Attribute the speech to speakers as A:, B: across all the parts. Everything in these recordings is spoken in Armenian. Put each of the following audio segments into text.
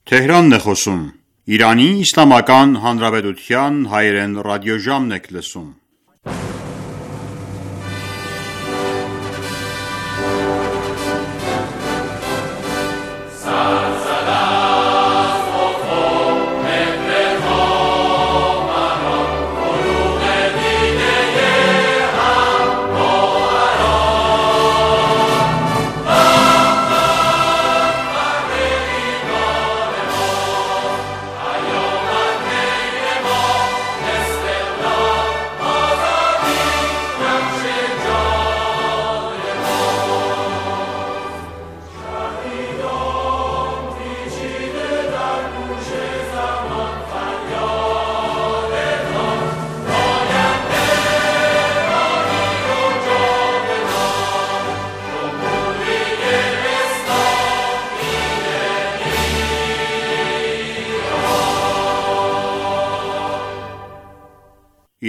A: Թեհրանն է խոսում։ Իրանի Իսլամական Հանրապետության հայերեն ռադիոժամն եք լսում։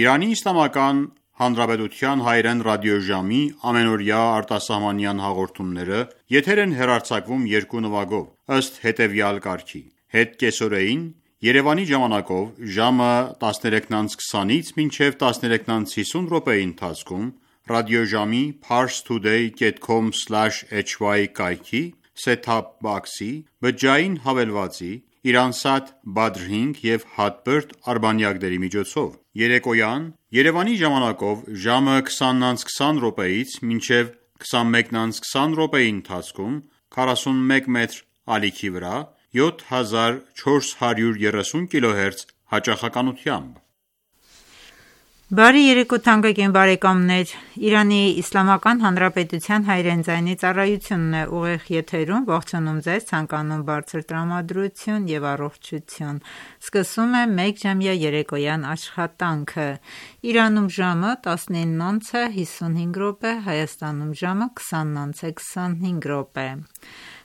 A: Իրանի Իսլամական Հանրապետության հայերեն ռադիոժամի ամենօրյա արտասահմանյան հաղորդումները եթեր են հեռարձակվում երկու նվագով, ըստ հետևյալ կարգի. Հետկեսօրեին Երևանի ժամանակով ժամը 13:20-ից մինչև 13:50 րոպեի ընթացքում ռադիոժամի parstoday.com/hy կայքի set-top box-ի բջջային հավելվածի Իրանսատ Badr 5 և Hotbird արբանյակների միջոցով, երեկոյան Երևանի ժամանակով ժամը 20:20 րոպեից մինչև 21:20 րոպեի ընթացքում 41 մետր ալիքի վրա 7430 kHz հաճախականությամբ։
B: Բարի երեկո թանկագին բարեկամներ, Իրանի Իսլամական Հանրապետության հայերեն ձայնի ծառայությունն է ուղիղ եթերում ողջունում ձեզ, ցանկանում բարձր տրամադրություն եւ առողջություն։ Սկսում է մեկժամյա երեկոյան աշխատանքը։ Իրանում ժամը 19:55 րոպե, Հայաստանում ժամը 20:25 րոպե։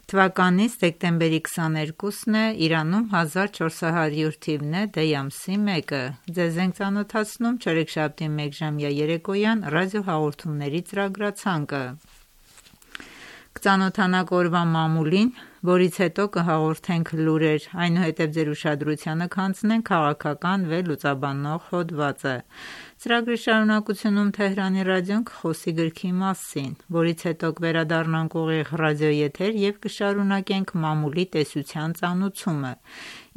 B: Թվականի դեկտեմբերի 22-ն է, Իրանում 1400 թիվն է, դեյ ամսի 1-ը։ Ձեզ ենք ծանոթացնում չորեքշաբթի մեկժամյա երեկոյան ռադիոհաղորդումների ծրագրացանկը։ Կծանոթանանք օրվա մամուլին, որից հետո կհաղորդենք լուրեր, այնուհետև ձեր ուշադրությանը կհանձնենք քաղաքական վերլուծաբանող հոդվածը։ Ծրագրի շարունակությունում Թեհրանի ռադիոն կխոսի գրքի մասին, որից հետո կվերադառնանք ուղիղ ռադիոեթեր և կշարունակենք մամուլի տեսության ծանուցումը,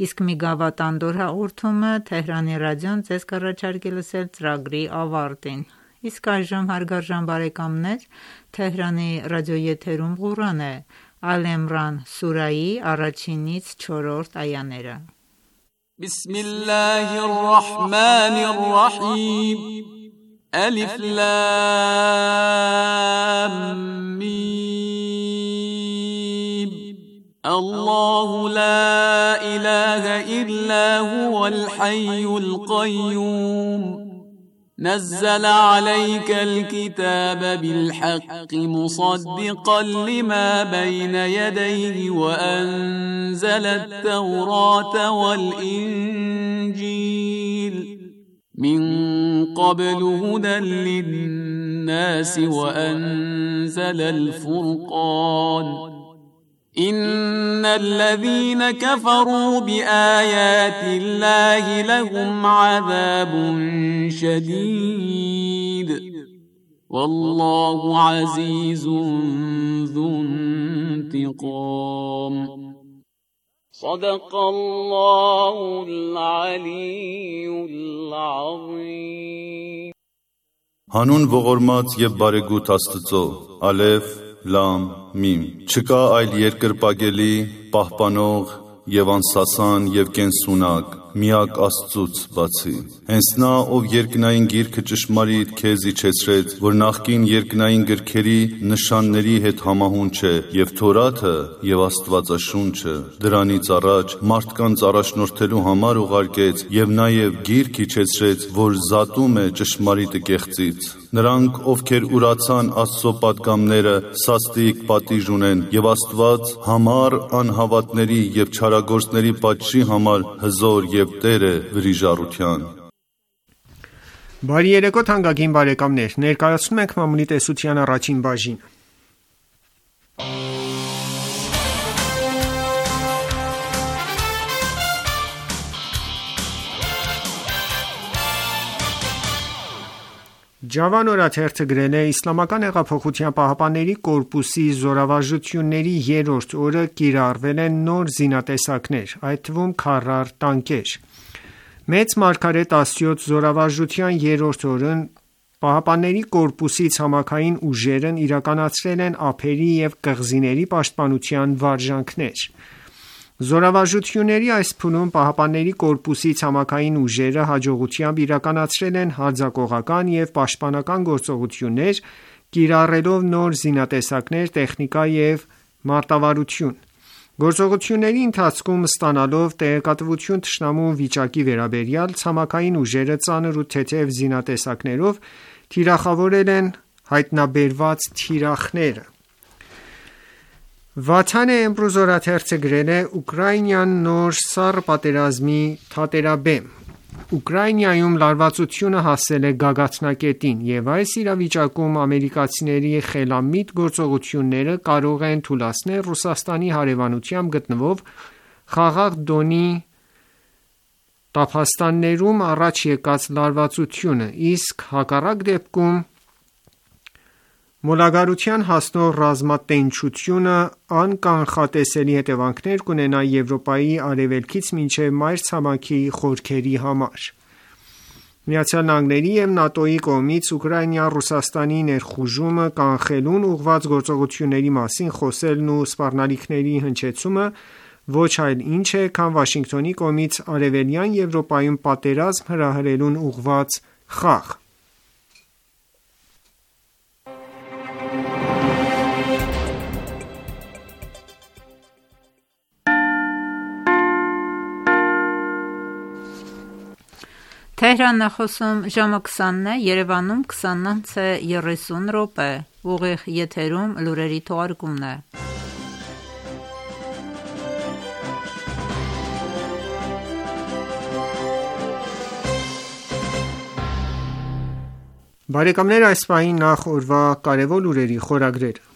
B: իսկ մի գավաթանդոր հաղորդումը Թեհրանի ռադիոն ձեզ կառաջարկի լսել ծրագրի ավարտին։ Իսկ այժմ հարգարժան բարեկամներ, Թեհրանի ռադիոեթերում Ղուրան է, Ալ Իմրան սուրայի 1-ից 4-րդ այաները։
C: Բիսմիլլահիռռահմանիռռահիմ Ալիֆ լամ միմ Ալլահու լա իլահա իլլա հուվալ հայյուլ կայյում نزل عليك الكتاب بالحق مصدقا لما بين يديه وأنزل التوراة والإنجيل من قبل هدى للناس وأنزل الفرقان إن الذين كفروا بآيات الله لهم عذاب شديد والله عزيز ذو انتقام صدق الله العلي العظيم
D: Հանուն ողորմած և բարեգութ Աստծո, Ալեֆ, Լամ, Միմ, չկա այլ երկրպագելի, պահպանող և անսասան և կենսունակ, միակ Աստծուց բացի։ Հենց նա, ով երկնային գիրքը ճշմարիտ քեզ իջեցրեց, որ նախկին երկնային գրքերի նշանների հետ համահունչ է, և Թորաթը և Աստվածաշունչը, դրանից առաջ մարդկանց առաջնորդելու համար ուղարկեց, և նաև գիրք իջեցրեց, որ զատում է ճշմարիտը կեղծից։ Նրանք, ովքեր ուրացան Աստծո պատգամները, սաստիկ պատիժ ունեն, և Աստված համառ անհավատների և չարագործների պատժի համար հզոր և Տեր է վրիժառության։
E: Բարի երեկո թանկագին բարեկամներ, ներկայացնում ենք մամուլի տեսության առաջին բաժինը։ Ջավան օրաթերթը գրել է. Իսլամական հեղափոխության պահապանների կորպուսի զորավարժությունների երրորդ օրը կիրառվել են նոր զինատեսակներ, այդ թվում քարար տանկեր։ Մեծ մարգարետ Աստծոց զորավարժության երրորդ օրն պահապանների կորպուսի ցամաքային ուժերն իրականացրել են ափերի և կղզիների պաշտպանության վարժանքներ։ Զորավարժությունների այս փուլում պահապանների կորպուսի ցամաքային ուժերը հաջողությամբ իրականացրել են հարձակողական և պաշտպանական գործողություններ, կիրառելով նոր զինատեսակներ, տեխնիկա և մարտավարություն։ Գործողությունների ընթացքում ստանալով տեղեկատվություն թշնամու վիճակի վերաբերյալ, ցամաքային ուժերը ծանր ու թեթև զինատեսակներով թիրախավորել են հայտնաբերված թիրախները։ Վաթան Էմրուզ օրաթերթը գրել է. Ուկրաինան նոր սառը պատերազմի թատերաբեմ։ Ուկրաինայում լարվածությունը հասել է գագաթնակետին, և այս իրավիճակում ամերիկացիների խելամիտ գործողությունները կարող են թուլացնել Ռուսաստանի հարևանությամբ գտնվող Խաղաղ Դոնի տափաստաններում առաջ եկած լարվածությունը, իսկ հակառակ դեպքում մոլագարության հասնող ռազմատենչությունը անկանխատեսելի հետևանքներ կունենա Եվրոպայի արևելքից մինչև մայրցամաքի խորքերի համար։ ԱՄՆ-ի և ՆԱՏՕ-ի կողմից Ուկրաինա-Ռուսաստանի ներխուժումը կանխելուն ուղղված գործողությունների մասին խոսելն ու սպառնալիքների հնչեցումը ոչ այլ ինչ է, քան Վաշինգտոնի կողմից Արևելյան Եվրոպայում պատերազմ հրահրելուն ուղղված խաղ։
B: Թեհրանն է խոսում ժամը 20-ն է, Երևանում 20:30 ուղիղ եթերում լուրերի թողարկումն է։
E: Բարեկամներ, այս պահին նախ օրվա կարևոր լուրերի խորագրերը։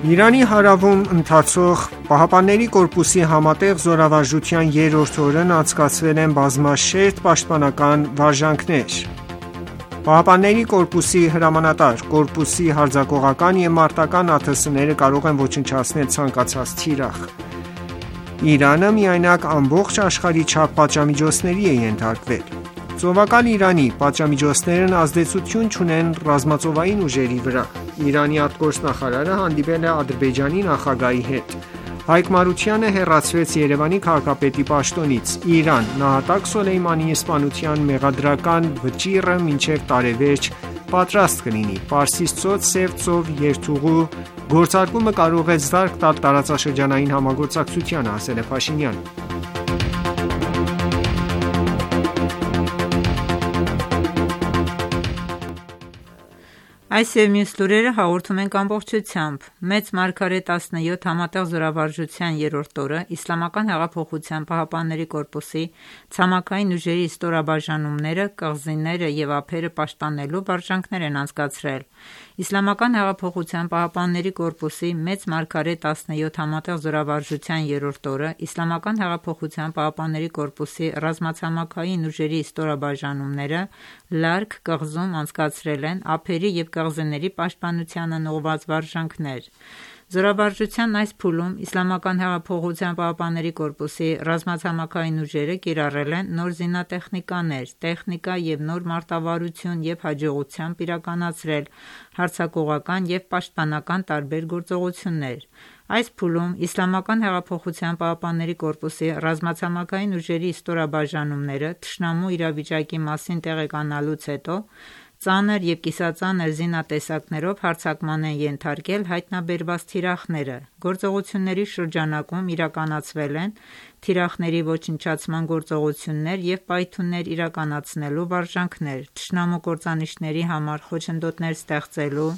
E: Իրանի հարավում ընթացող Պահապանների կորպուսի համատեղ զորավարժության երրորդ օրն անցկացվել են բազմաշերտ պաշտպանական վարժանքներ։ Պահապանների կորպուսի հրամանատար. Կորպուսի հարձակողական և մարտական ԱԹՍ-ները կարող են ոչնչացնել ցանկացած թիրախ։ Իրանը միայնակ ամբողջ աշխարհի չափ պատժամիջոցների է ենթարկվել։ Ծովակալ Իրանի պատժամիջոցներն ազդեցություն չունեն ռազմածովային ուժերի վրա։ Իրանի արտգործնախարարը հանդիպել է Ադրբեջանի նախագահի հետ։ Հայկ Մարությանը հեռացվեց Երևանի քաղաքապետի պաշտոնից։ Իրան. նահատակ Սոլեյմանիի սպանության մեղադրական վճիռը մինչև տարեվերջ պատրաստ կլինի։ Պարսից ծոց Սև ծով երթուղու գործարկումը կարող է զարկ տալ տարածաշրջանային համագործակցությանը, ասել է Փաշինյանը։
B: Այս և մյուս լուրերը հաղորդում ենք ամբողջությամբ։ Մեծ մարգարետ 17 համատեղ զորավարժության երրորդ օրը Իսլամական հեղափոխության պահապանների կորպուսի ցամաքային ուժերի ստորաբաժանումները, կղզիները և ափերը պաշտպանելու վարժանքներ են անցկացրել։ Իսլամական հեղափոխության պահապանների կորպուսի մեծ մարգարետ 17 համատեղ զորավարժության երրորդ օրը Իսլամական հեղափոխության պահապանների կորպուսի ռազմացամաքային ուժերի ստորաբաժանումները Լարկ կղզում անցկացրել են ափերի և կղզիների պաշտպանությանն ուղղված վարժանքներ։ Զորավարժության այս փուլում Իսլամական հեղափոխության պահապանների կորպուսի ռազմացամաքային ուժերը կիրառել են նոր զինատեխնիկաներ, տեխնիկա և նոր մարտավարություն և հաջողությամբ իրականացրել հարձակողական և պաշտպանական տարբեր գործողություններ։ Այս փուլում Իսլամական հեղափոխության պահապանների կորպուսի ռազմացամաքային ուժերի ստորաբաժանումները թշնամու իրավիճակի մասին տեղեկանալուց հետո ծանր և կիսածանր զինատեսակներով հարձակման են ենթարկել հայտնաբերված թիրախները։ Գործողությունների շրջանակում իրականացվել են թիրախների ոչնչացման գործողություններ և պայթյուններ իրականացնելու վարժանքներ, թշնամու կործանիչների համար խոչընդոտներ ստեղծելու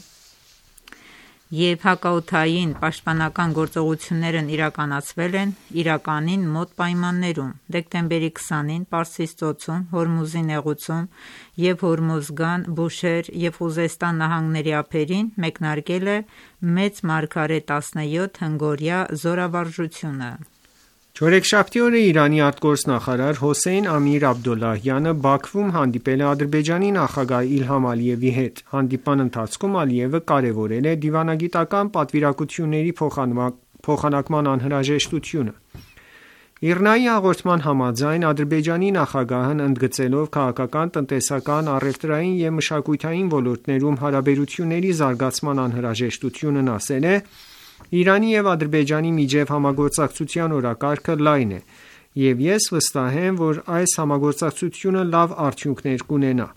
B: և հակաօդային պաշտպանական գործողություններն իրականացվել են իրականին մոտ պայմաններում։ Դեկտեմբերի 20-ին Պարսից ծոցում, Հորմուզի նեղուցում և Հորմոզգան, Բուշեհր և Խուզեստան նահանգների ափերին մեկնարկել է մեծ մարգարետ 17 հնգօրյա զորավարժությունը։
E: Չորեքշաբթի օրը Իրանի արտգործնախարար Հոսեյն Ամիր Աբդոլլահյանը Բաքվում հանդիպել է Ադրբեջանի նախագահ Իլհամ Ալիևի հետ։ Հանդիպման ընթացքում Ալիևը կարևորել է դիվանագիտական պատվիրակությունների փոխանակման անհրաժեշտությունը։ ԻՌՆԱ-ի հաղորդման համաձայն Ադրբեջանի նախագահն ընդգծելով քաղաքական, տնտեսական, առևտրային և մշակութային ոլորտներում հարաբերությունների զարգացման անհրաժեշտությունն ասել է. «Իրանի և Ադրբեջանի միջև համագործակցության օրակարգը լայն է, և ես վստահ եմ, որ այս համագործակցությունը լավ արդյունքներ կունենա»։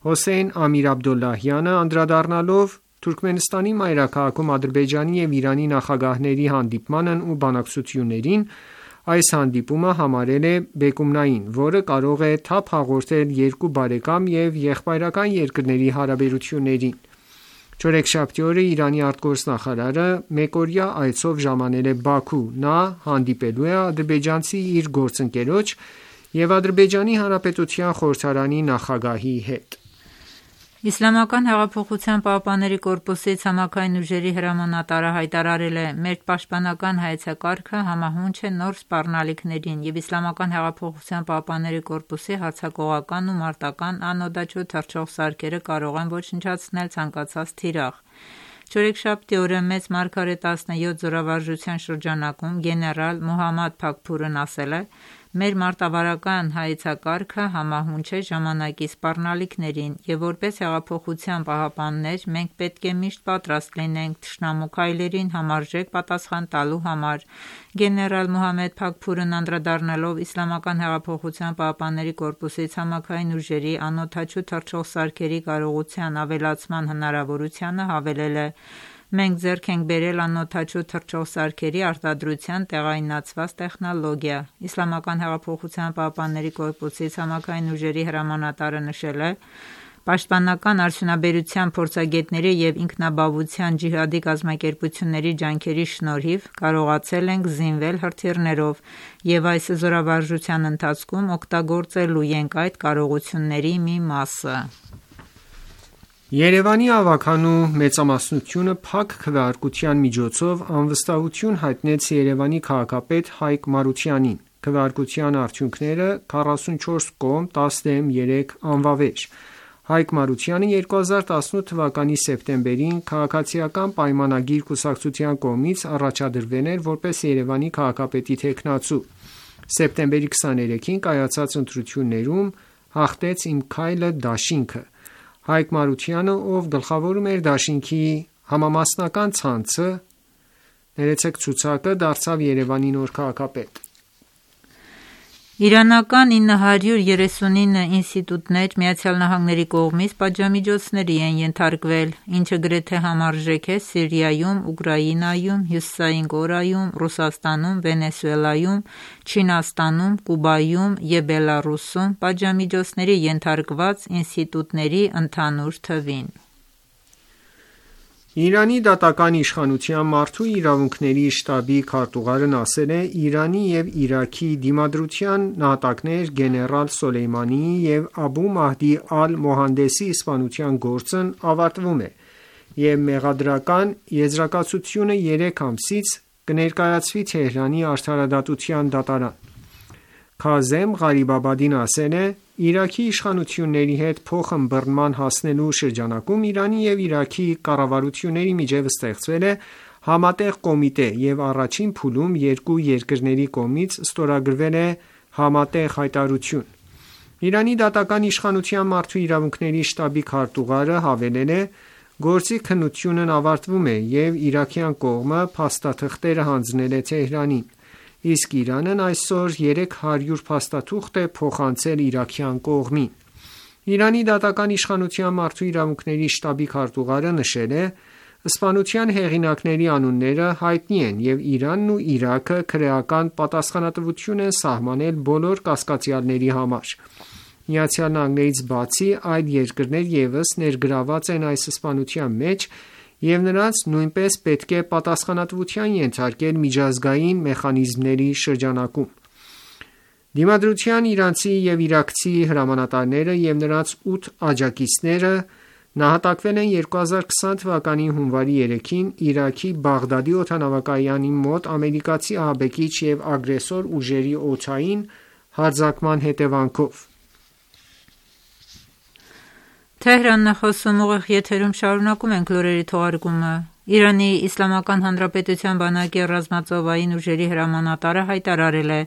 E: Հոսեյն Ամիր Աբդոլլահյանը անդրադառնալով Թուրքմենստանի մայրաքաղաքում Ադրբեջանի և Իրանի նախագահների հանդիպմանն ու բանակցություններին, այս հանդիպումը համարել է բեկումնային, որը կարող է թափ հաղորդել երկու բարեկամ և եղբայրական երկրների հարաբերություններին։ Չորեքշաբթի օրը Իրանի արտգործնախարարը մեկօրյա այցով ժամանել է Բաքու։ Նա հանդիպելու է ադրբեջանցի իր գործընկերոջ և Ադրբեջանի Հանրապետության խորհրդարանի նախագահի հետ։
B: Իսլամական հեղափոխության պահապանների կորպուսի ցամաքային ուժերի հրամանատարը հայտարարել է. «Մեր պաշտպանական հայեցակարգը համահունչ է նոր սպառնալիքներին և Իսլամական հեղափոխության պահապանների կորպուսի հարձակողական ու մարտական անօդաչու թռչող սարքերը կարող են ոչնչացնել ցանկացած թիրախ»։ Չորեքշաբթի օրը Մեծ Մարգարե 17 զորավարժության շրջանակում գեներալ Մոհամմադ Փաքփուրն ասել է. «Մեր մարտավարական հայեցակարգը համահունչ է ժամանակի սպառնալիքներին և որպես հեղափոխության պահապաններ մենք պետք է միշտ պատրաստ լինենք թշնամու քայլերին համարժեք պատասխան տալու համար»։ Գեներալ Մոհամմադ Փաքփուրն անդրադառնալով Իսլամական հեղափոխության պահապանների կորպուսի ցամաքային ուժերի անօդաչու թռչող սարքերի կարողության ավելացման հնարավորությանը հավելել է. «Մենք ձեռք ենք բերել անօդաչու թռչող սարքերի արտադրության տեղայնացված տեխնոլոգիա»։ Իսլամական հեղափոխության պահապանների կորպուսի ցամաքային ուժերի հրամանատարը նշել է. «Պաշտպանական արդյունաբերության փորձագետների և ինքնաբավության ջիհադի կազմակերպությունների ջանքերի շնորհիվ կարողացել ենք զինվել հրթիռներով և այս զորավարժության ընթացքում օգտագործելու ենք այդ կարողությունների մի մասը»։
E: Երևանի ավագանու մեծամասնությունը փակ քվեարկության միջոցով անվստահություն հայտնեց Երևանի քաղաքապետ Հայկ Մարությանին։ Քվեարկության արդյունքները 44 կողմ, 10 դեմ 3 անվավեր։ Հայկ Մարությանը 2018 թվականի սեպտեմբերին Քաղաքացիական պայմանագիր կուսակցության կողմից առաջադրվել էր որպես Երևանի քաղաքապետի թեկնածու։ Սեպտեմբերի 23-ին կայացած ընտրություններում հաղթեց «Իմ քայլը» դաշինքը։ Հայկ Մարությանը, ով գլխավորում էր դաշինքի համամասնական ցուցակը, դարձավ Երևանի նոր քաղաքապետ։
B: Իրանական 939 ինստիտուտներ ԱՄՆ-ի կողմից պատժամիջոցների են ենթարկվել, ինչը գրեթե համարժեք է Սիրիայում, Ուկրաինայում, Հյուսիսային Կորեայում, Ռուսաստանում, Վենեսուելայում, Չինաստանում, Կուբայում և Բելառուսում պատժամիջոցների ենթարկված ինստիտուտների ընդհանուր թվին։
E: Իրանի դատական իշխանության մարդու իրավունքների շտաբի քարտուղարն ասել է. «Իրանի և Իրաքի դիմադրության նահատակներ գեներալ Սոլեյմանիի և Աբու Մահդի Ալ-Մոհանդեսի սպանության գործն ավարտվում է և մեղադրական եզրակացությունը 3 ամսից կներկայացվի Թեհրանի արդարադատության դատարան»։ Քազեմ Ղարիբաբադին ասել է. «Իրաքի իշխանությունների հետ փոխըմբռնման հասնելու շրջանակում Իրանի և Իրաքի կառավարությունների միջև ստեղծվել է համատեղ կոմիտե և առաջին փուլում երկու երկրների կողմից ստորագրվել է համատեղ հայտարարություն»։ Իրանի դատական իշխանության մարդու իրավունքների շտաբի քարտուղարը հավելել է. «Գործի քննությունն ավարտվում է և իրաքյան կողմը փաստաթղթերը հանձնել է Թեհրանին, իսկ Իրանն այսօր 300 փաստաթուղթ է փոխանցել իրաքյան կողմին»։ Իրանի դատական իշխանության մարդու իրավունքների շտաբի քարտուղարը նշել է. «Սպանության հեղինակների անունները հայտնի են, և Իրանն ու Իրաքը քրեական պատասխանատվություն են սահմանել բոլոր կասկածյալների համար։ ԱՄՆ-ից բացի այլ երկրներ ևս ներգրավված են այս սպանության մեջ և նրանց նույնպես պետք է պատասխանատվության ենթարկել միջազգային մեխանիզմների շրջանակում»։ Դիմադրության իրանցի և իրաքցի հրամանատարները և նրանց 8 աջակիցները Նահատակվել են 2020 թվականի հունվարի 3-ին Իրաքի Բաղդադի օդանավակայանի մոտ ամերիկացի ահաբեկիչ և ագրեսոր ուժերի օդային հարձակման հետևանքով։
B: Իրանի Իսլամական Հանրապետության բանակի ռազմածովային ուժերի հրամանատարը հայտարարել է.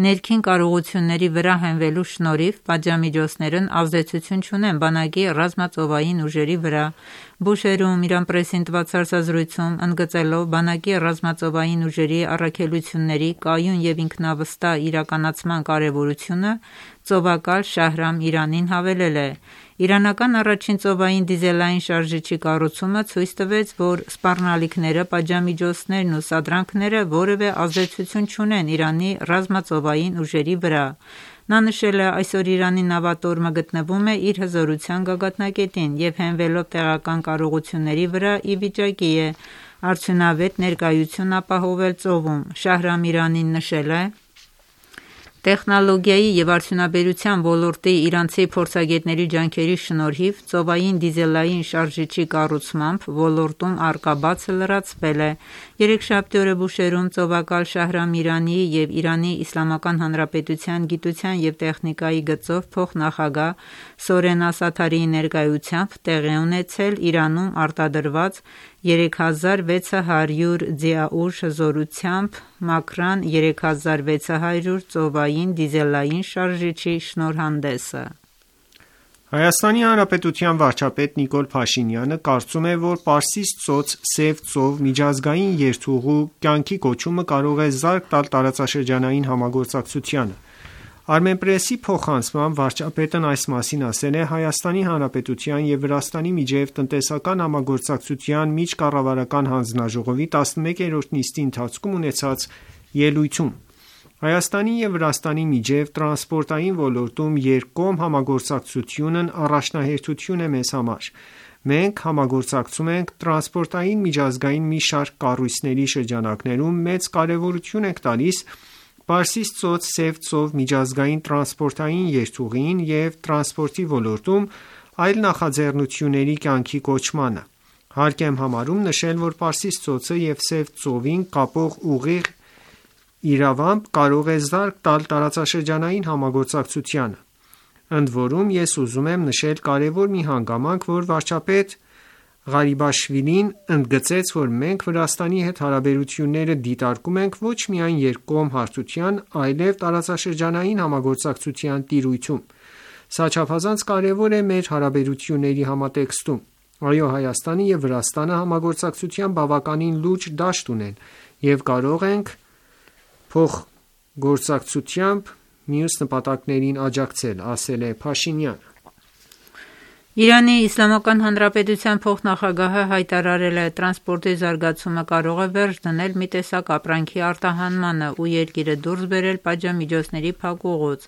B: ներքին կարողությունների վրա հենվելու շնորհիվ պատժամիջոցներն ազդեցություն չունեն բանակի ռազմածովային ուժերի վրա։ Բուշեհրում Իրան պրեսին տված հարցազրույցում ընդգծելով բանակի ռազմածովային ուժերի առաքելությունների կայուն և ինքնավստահ իրականացման կարևորությունը, ծովակալ Շահրամ Իրանին հավելել է. Իրանական առաջին ծովային դիզելային շարժիչի կառուցումը ցույց տվեց, որ սպառնալիքները, պատժամիջոցներն ու սադրանքները որևէ ազդեցություն չունեն Իրանի ռազմածովային ուժերի վրա։ Նա նշել է. այսօր Իրանի նավատորմը գտնվում է իր հզորության գագաթնակետին և հենվելով տեղական կարողությունների վրա ի վիճակի է արդյունավետ ներկայություն ապահովել ծովում։ Շահրամ Իրանին նշել է. տեխնոլոգիայի և արդյունաբերության ոլորտի իրանցի փորձագետների ջանքերի շնորհիվ ծովային դիզելային շարժիչի կառուցմամբ ոլորտում առկա բացը լրացվել է։ Երեքշաբթի օրը Բուշեհրում ծովակալ Շահրամ Իրանի և Իրանի Իսլամական Հանրապետության գիտության և տեխնիկայի գծով փոխնախագահ Սորեն Ասաթարիի ներկայությամբ տեղի ունեցել Իրանում արտադրված 3600 ձիաուժ հզորությամբ Մաքրան 3600 ծովային դիզելային շարժիչի շնորհանդեսը։
E: Հայաստանի Հանրապետության վարչապետ Նիկոլ Փաշինյանը կարծում է, որ Պարսից ծոց-Սև ծով միջազգային երթուղու կյանքի կոչումը կարող է զարկ տալ տարածաշրջանային համագործակցությանը։ Armenpress-ի փոխանցմամբ վարչապետն այս մասին ասել է Հայաստանի Հանրապետության և Վրաստանի միջև տնտեսական համագործակցության միջկառավարական հանձնաժողովի 11-րդ նիստի ընթացքում ունեցած ելույթում։ Հայաստանի և Վրաստանի միջև տրանսպորտային ոլորտում երկկողմ համագործակցությունն առաջնահերթություն է մեզ համար։ Մենք համագործակցում ենք տրանսպորտային միջազգային մի շարք կառույցների շրջանակներում մեծ կարևորություն ենք տալիս Պարսից ծոց-Սև ծով միջազգային տրանսպորտային երթուղին և տրանսպորտի ոլորտում այլ նախաձեռնությունների կյանքի կոչմանը։ Հարկ եմ համարում նշել, որ Պարսից ծոցը և Սև ծովին կապող ուղիղ իրավամբ կարող է զարկ տալ տարածաշրջանային համագործակցությանը։ Ընդ որում ես ուզում եմ նշել կարևոր մի հանգամանք, որ վարչապետ Ղարիբաշվիլին ընդգծեց, որ մենք Վրաստանի հետ հարաբերությունները դիտարկում ենք ոչ միայն երկկողմ հարթության, այլև տարածաշրջանային համագործակցության տիրույթում։ Սա չափազանց կարևոր է մեր հարաբերությունների համատեքստում։ Այո, Հայաստանը և Վրաստանը համագործակցության բավականին լուրջ դաշտ ունեն և կարող ենք փոխգործակցությամբ մյուս նպատակներին աջակցել, ասել է Փաշինյանը։
B: Իրանի Իսլամական Հանրապետության փոխնախագահը հայտարարել է. տրանսպորտի զարգացումը կարող է վերջ դնել մի տեսակ ապրանքի արտահանմանը ու երկիրը դուրս բերել պատժամիջոցների փակուղուց։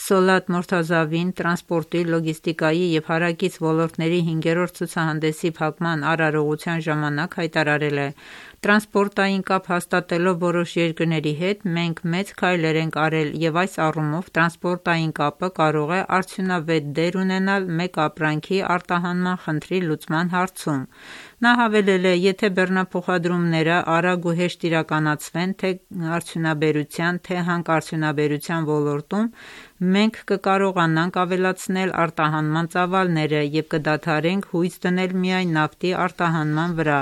B: Սոլաթ Մորթազավին տրանսպորտի, լոգիստիկայի և հարակից ոլորտների 5-րդ ցուցահանդեսի փակման արարողության ժամանակ հայտարարել է. Տրանսպորտային կապ հաստատելով որոշ երկրների հետ մենք մեծ քայլեր ենք արել և այս առումով տրանսպորտային կապը կարող է արդյունավետ դեր ունենալ մեկ ապրանքի արտահանման խնդրի լուծման հարցում։ Նա հավելել է. եթե բեռնափոխադրումները արագ ու հեշտ իրականացվեն թե արդյունաբերության, թե հանքարդյունաբերության ոլորտում, մենք կկարողանանք ավելացնել արտահանման ծավալները և կդադարենք հույս դնել միայն նավթի արտահանման վրա։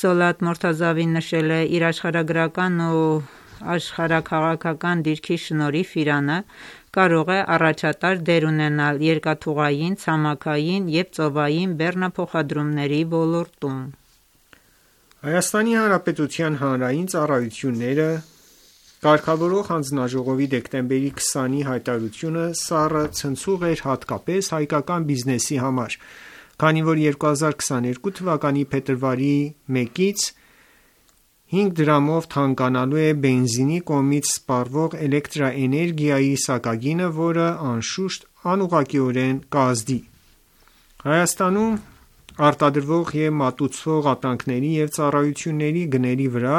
B: Սոլաթ Մորթազավին նշել է. իր աշխարհագրական ու աշխարհաքաղաքական դիրքի շնորհիվ Իրանը կարող է առաջատար դեր ունենալ երկաթուղային, ցամաքային և ծովային բեռնափոխադրումների ոլորտում։
E: Հայաստանի Հանրապետության հանրային ծառայությունները կարգավորող հանձնաժողովի դեկտեմբերի 20-ի հայտարարությունը սառը ցնցող էր հատկապես հայկական բիզնեսի համար, քանի որ 2022 թվականի փետրվարի 1-ից 5 դրամով թանկանալու է բենզինի կողմից սպառվող էլեկտրաէներգիայի սակագինը, որը անշուշտ անուղղակիորեն կազդի։ Հայաստանում արտադրվող և մատուցվող ապրանքների և ծառայությունների գների վրա,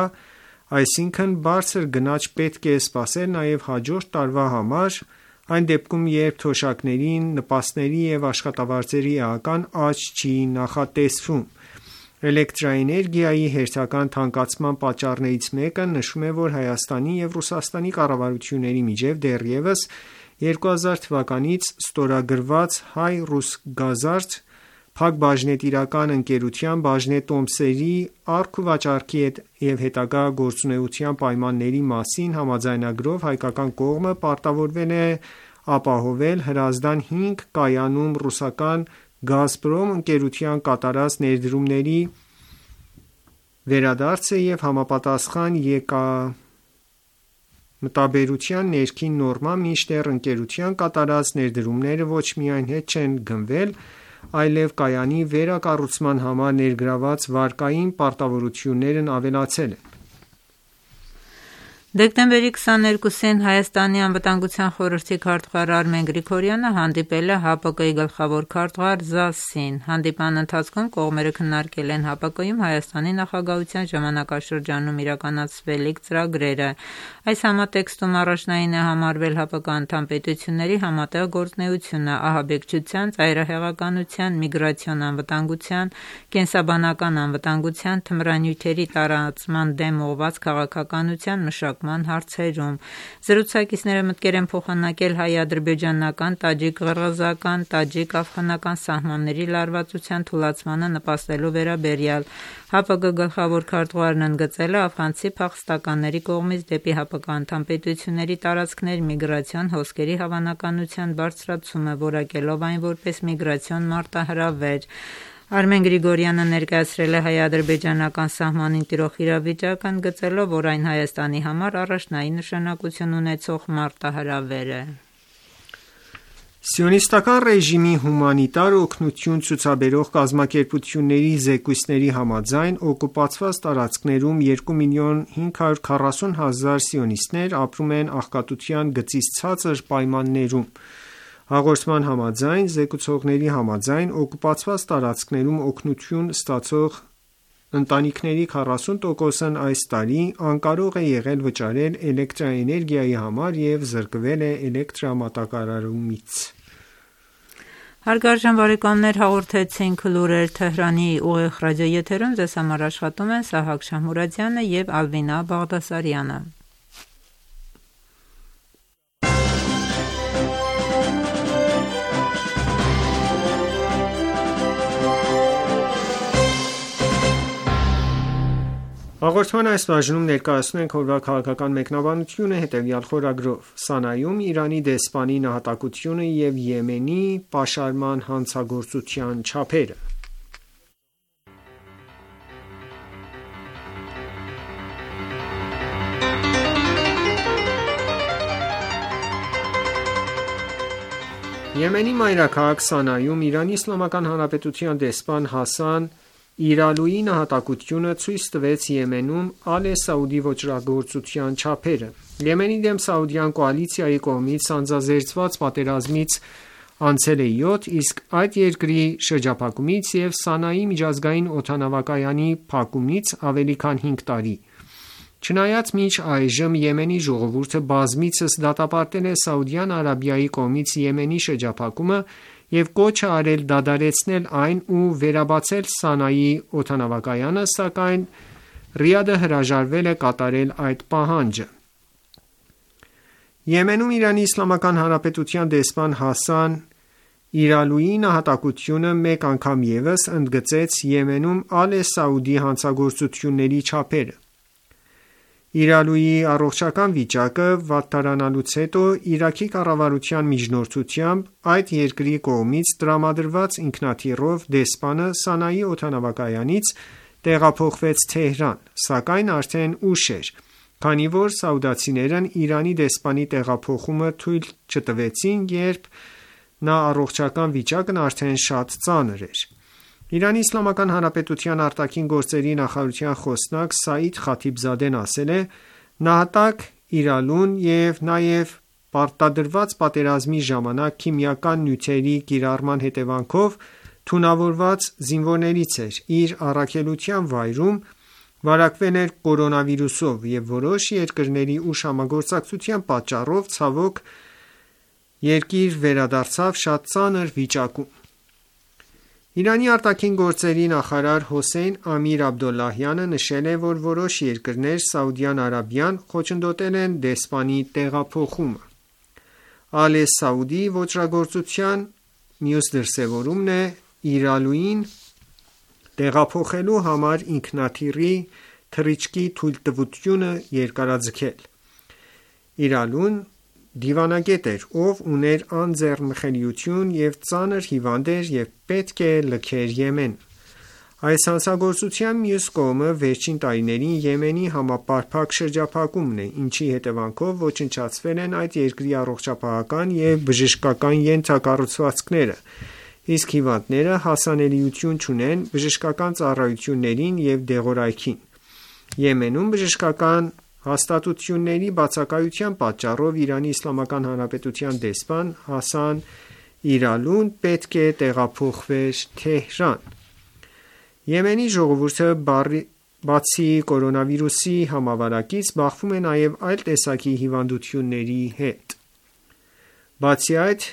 E: այսինքն բարձր գնաճ պետք է սպասել նաև հաջորդ տարվա համար, այն դեպքում, երբ թոշակների, նպաստների և աշխատավարձերի էական աճ չի նախատեսվում: Էլեկտրաէներգիայի հերթական թանկացման պատճառներից մեկը նշում է, որ Հայաստանի և Ռուսաստանի կառավարությունների միջև դեռևս 2000 թվականից ստորագրված Հայ-Ռուսգազարդ փակբաժնետիրական ընկերության բաժնետոմսերի առք-ու-վաճառքի և հետագա գործունեության պայմանների մասին համաձայնագրով հայկական կողմը պարտավորվել է ապահովել Հրազդան 5 կայանում ռուսական «Գազպրոմ» ընկերության կատարած ներդրումների վերադարձը և համապատասխան եկամտաբերության ներքին նորմա, մինչդեռ ընկերության կատարած ներդրումները ոչ միայն հետ չեն գնվել, այլև կայանի վերակառուցման համար ներգրավված վարկային պարտավորություններն ավելացել են:
B: Դեկտեմբերի 22-ին Հայաստանի անվտանգության խորհրդի քարտուղար Արմեն Գրիգորյանը հանդիպել է ՀԱՊԿ-ի գլխավոր քարտուղար ԶԱՍՍ-ին: Հանդիպման ընթացքում կողմերը քննարկել են ՀԱՊԿ-ում Հայաստանի նախագահության ժամանակաշրջանում իրականացվելիք ծրագրերը: Այս համատեքստում առաջնային է համարվել ՀԱՊԿ անդամ պետությունների համատեղ գործունեությունը ահաբեկչության, ծայրահեղականության, միգրացիոն անվտանգության, կենսաբանական անվտանգության, թմրանյութերի տարածման դեմ ուղղված քաղաքականության մշակման հարցերում: Զրուցակիցները մտքեր են փոխանակել հայ-ադրբեջանական, տաջիկ-ղըրղըզական, տաջիկ-աֆղանական սահմանների լարվածության թուլացմանը նպաստելու վերաբերյալ: ՀԱՊԿ գլխավոր քարտուղարն ընդգծել է աֆղանցի փախստականների կողմից դեպի ՀԱՊԿ անդամ պետությունների տարածքներ միգրացիոն հոսքերի հավանականության բարձրացումը, որակելով այն որպես միգրացիոն մարտահրավեր: Արմեն Գրիգորյանը ներկայացրել է հայ-ադրբեջանական սահմանին տիրող իրավիճակը, ընդգծելով, որ այն Հայաստանի համար առաջնային նշանակություն ունեցող մարտահրավեր է:
E: Սիոնիստական ռեժիմի հումանիտար օգնություն ցուցաբերող կազմակերպությունների զեկույցների համաձայն օկուպացված տարածքներում 2,540,000 սիոնիստներ ապրում են աղքատության գծից ցածր պայմաններում: Հաղորդման համաձայն, զեկուցողների համաձայն, օկուպացված տարածքներում օգնություն ստացող ընտանիքների 40%-ն այս տարի անկարող է եղել վճարել էլեկտրաէներգիայի համար և զրկվել է էլեկտրամատակարարումից:
B: Հարգարժան բարեկամներ, հաղորդեցինք լուրեր Թեհրանի ուղիղ ռադիոեթերում: Ձեզ համար աշխատում են Սահակ Շահմուրադյանը և Ալվինա Բաղդասարյանը:
E: Հաղորդման այս բաժնում ներկայացնում ենք օրվա քաղաքական մեկնաբանությունը հետևյալ խորագրով: Սանայում Իրանի դեսպանի նահատակությունը և Եմենի պաշարման հանցագործության չափերը: Եմենի մայրաքաղաք Սանայում ԻԻՀ դեսպան Հասան İրալուի նահատակությունը ցույց տվեց Եմենում Ալե Սաուդի ոճրագործության չափերը: Եմենի դեմ սաուդյան կոալիցիայի կողմից սանձազերծված պատերազմից անցել է 7, իսկ այդ երկրի շրջափակումից և Սանայի միջազգային օդանավակայանի փակումից ավելի քան 5 տարի: Չնայած մինչ այժմ Եմենի ժողովուրդը բազմիցս դատապարտել է Սաուդյան Արաբիայի կողմից Եմենի շրջափակումը և կոչ է արել դադարեցնել այն ու վերաբացել Սանայի օդանավակայանը, սակայն Ռիադը հրաժարվել է կատարել այդ պահանջը: Եմենում ԻԻՀ դեսպան Հասան İրալուի նահատակությունը մեկ անգամ ևս ընդգծեց Եմենում Ալե Սաուդի հանցագործությունների չափերը: İրալուի առողջական վիճակը վատթարանալուց հետո Իրաքի կառավարության միջնորդությամբ այդ երկրի կողմից տրամադրված ինքնաթիռով դեսպանը Սանայի օդանավակայանից տեղափոխվեց Թեհրան, սակայն արդեն ուշ էր, քանի որ սաուդացիներն Իրանի դեսպանի տեղափոխումը թույլ չտվեցին, երբ նա առողջական վիճակն արդեն շատ ծանր էր: ԻԻՀ արտաքին գործերի նախարարության խոսնակ Սաիդ Խաթիբզադեն ասել է. «Նահատակ İրալուն և նաև պարտադրված պատերազմի ժամանակ քիմիական նյութերի կիրառման հետևանքով թունավորված զինվորներից էր, իր առաքելության վայրում վարակվել էր կորոնավիրուսով և որոշ երկրների ուշ համագործակցության պատճառով ցավոք երկիր վերադարձավ շատ ծանր վիճակում։ Իրանի արտաքին գործերի նախարար Հոսեյն Ամիր Աբդոլլահյանը նշել է, որ որոշ երկրներ Սաուդյան Արաբիան խոչընդոտել են դեսպանի տեղափոխումը։ Ալե Սաուդի ոճրագործության մյուս դրսևորումն է Իրալուին տեղափոխելու համար ինքնաթիռի թռիչքի թույլտվությունը երկարաձգել։ Իրալուն դիվանագետ էր, ով ուներ անձեռնխելիություն և ծանր հիվանդ էր և պետք է լքեր Եմեն։ Այս հանցագործության մյուս կողմը վերջին տարիներին Եմենի համապարփակ շրջափակումն է, ինչի հետևանքով ոչնչացվել են այդ երկրի առողջապահական և բժշկական ենթակառուցվածքները, իսկ հիվանդները հասանելիություն չունեն բժշկական ծառայություններին և դեղորայքին։ Եմենում բժշկական հաստատությունների բացակայության պատճառով Իրանի Իսլամական Հանրապետության դեսպան Հասան Իրալուն պետք է տեղափոխվեր Թեհրան։ Եմենի ժողովուրդը բացի կորոնավիրուսի համավարակից բախվում է նաև այլ տեսակի հիվանդությունների հետ։ Բացի այդ,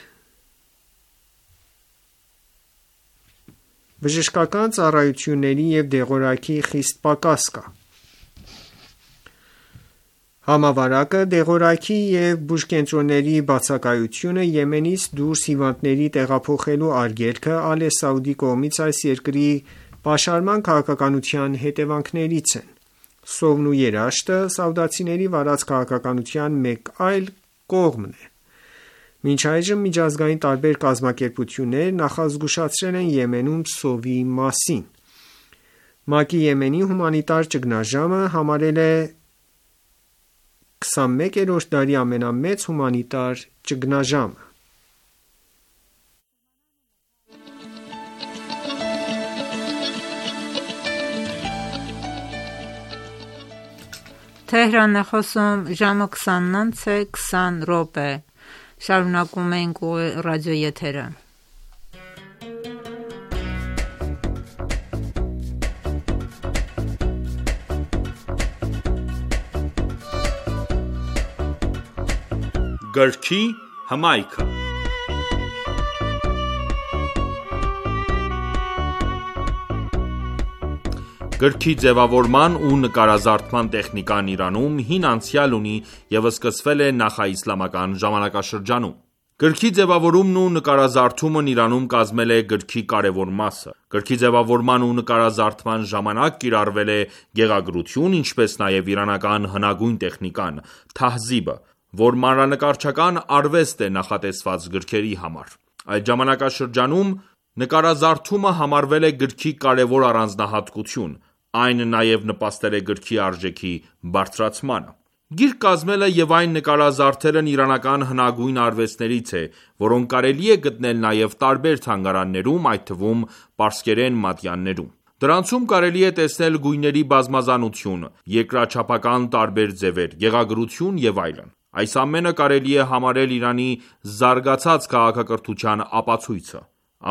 E: բժշկական ծառայությունների և դեղորայքի խիստ պակաս կա։ Համավարակը, դեղորայքի և բուժկենտրոնների բացակայությունը, Եմենից դուրս հիվանդների տեղափոխելու արգելքը Ալե Սաուդի կողմից այս երկրի պաշարման քաղաքականության հետևանքներից են։ Սովն ու երաշտը սաուդացիների վարած քաղաքականության մեկ այլ կողմն է։ Մինչ այժմ միջազգային տարբեր կազմակերպություններ նախազգուշացրել են Եմենում սովի մասին։ ՄԱԿ-ի Եմենի հումանիտար ճգնաժամը համարել է 21-րդ դարի ամենամեծ հումանիտար ճգնաժամը։
B: Թեհրան է խոսում, ժամը 20:20 Շարունակում ենք ռադիոեթերը։
A: Գրքի հմայքը։ Գրքի ձևավորման ու նկարազարդման տեխնիկան Իրանում հին անցյալ ունի և սկսվել է նախաիսլամական ժամանակաշրջանում։ Գրքի ձևավորումն ու նկարազարդումն Իրանում կազմել է գրքի կարևոր մասը։ Գրքի ձևավորման ու նկարազարդման ժամանակ կիրառվել է գեղագրություն, ինչպես նաև իրանական հնագույն տեխնիկան՝ թահզիբը, որ մանրանկարչական արվեստ է նախատեսված գրքերի համար։ Այդ ժամանակաշրջանում նկարազարդումը համարվել է գրքի կարևոր առանձնահատկություն, այն նաև նպաստել է գրքի արժեքի բարձրացմանը։ Գիրք կազմելը և այն նկարազարդելն իրանական հնագույն արվեստներից է, որոնք կարելի է գտնել նաև տարբեր թանգարաններում, այդ թվում պարսկերեն մատյաններում։ Դրանցում կարելի է տեսնել գույների բազմազանություն, երկրաչափական տարբեր ձևեր, գեղագրություն և այլն։ Այս ամենը կարելի է համարել Իրանի զարգացած քաղաքակրթության ապացույցը։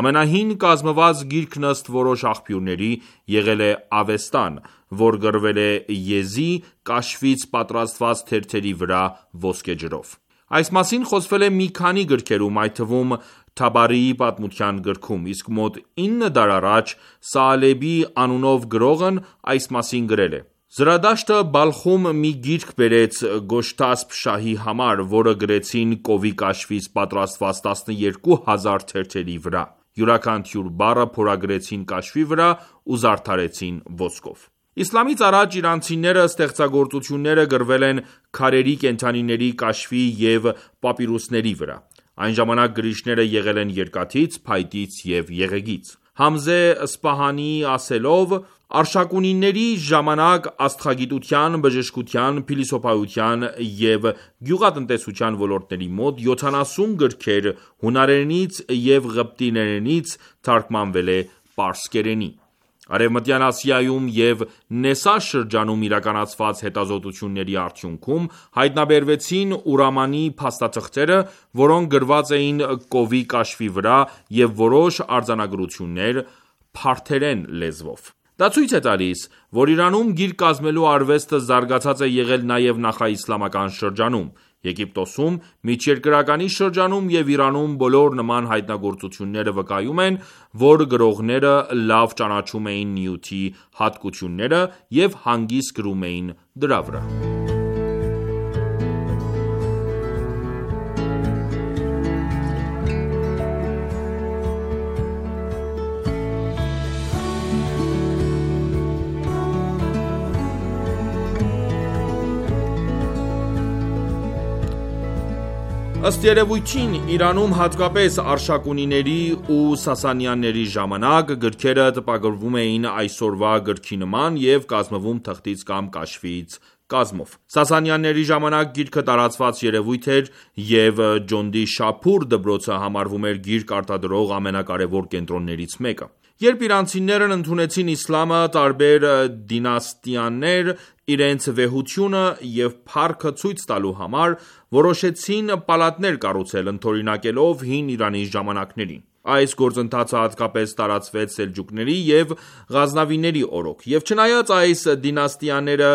A: Ամենահին կազմված գիրքն ըստ որոշ աղբյուրների եղել է Ավեստան, որ գրվել է եզի կաշվից պատրաստված թերթերի վրա ոսկեջրով։ Այս մասին խոսվել է մի քանի գրքերում, այդ թվում Թաբարիի պատմության գրքում, իսկ մոտ 9 դար առաջ Սաալեբի անունով գրողն այս մասին գրել է. Զրադաշտը Բալխում մի գիրք բերեց Գոշտասպ շահի համար, որը գրեցին կովի կաշվից պատրաստված 12,000 թերթերի վրա։ Յուրաքանչյուր բառը փորագրեցին կաշվի վրա ու զարդարեցին ոսկով։ Իսլամից առաջ իրանցիները ստեղծագործությունները գրվել են քարերի կենդանիների կաշվի և պապիրուսների վրա։ Այն ժամանակ գրիչները եղել են երկաթից, փայտից և եղեգից։ Համզե Սպահանիի ասելով, Արշակունիների ժամանակ աստղագիտության, բժշկության, փիլիսոփայության և գյուղատնտեսության ոլորտների մոտ 70 գրքեր հունարենից և ղպտիերենից թարգմանվել է պարսկերենի։ Արևմտյան Ասիայում և Նեսա շրջանում իրականացված հետազոտությունների արդյունքում հայտնաբերվեցին ուրամանի փաստաթղթերը, որոնք գրված էին կովի կաշվի վրա և որոշ արձանագրություններ փարթերեն լեզվով։ Դա ցույց է տալիս, որ Իրանում գիրք կազմելու արվեստը զարգացած է եղել նաև նախաիսլամական շրջանում։ Եգիպտոսում, Միջերկրականի շրջանում և Իրանում բոլոր նման հայտնագործությունները վկայում են, որ գրողները լավ ճանաչում էին նյութի հատկությունները և հանգիստ գրում էին դրա վրա։ Ըստ երևույթին, Իրանում հատկապես Արշակունիների ու Սասանյանների ժամանակ, գրքերը տպագրվում էին այսօրվա գրքի նման և կազմվում թղթից կամ կաշվից կազմով։ Սասանյանների ժամանակ գիրքը տարածված երևույթ էր և Ջոնդիշափուր դպրոցը համարվում էր գիրք արտադրող ամենակարևոր կենտրոններից մեկը։ Երբ իրանցիներն ընդունեցին իսլամը, տարբեր դինաստիաներ իրենց վեհությունը և փառքը ցույց տալու համար, որոշեցին պալատներ կառուցել՝ ընդօրինակելով հին Իրանի ժամանակներին։ Այս գործընթացը հատկապես տարածվեց սելջուկների և Ղազնավիների օրոք, և չնայած այս դինաստիաները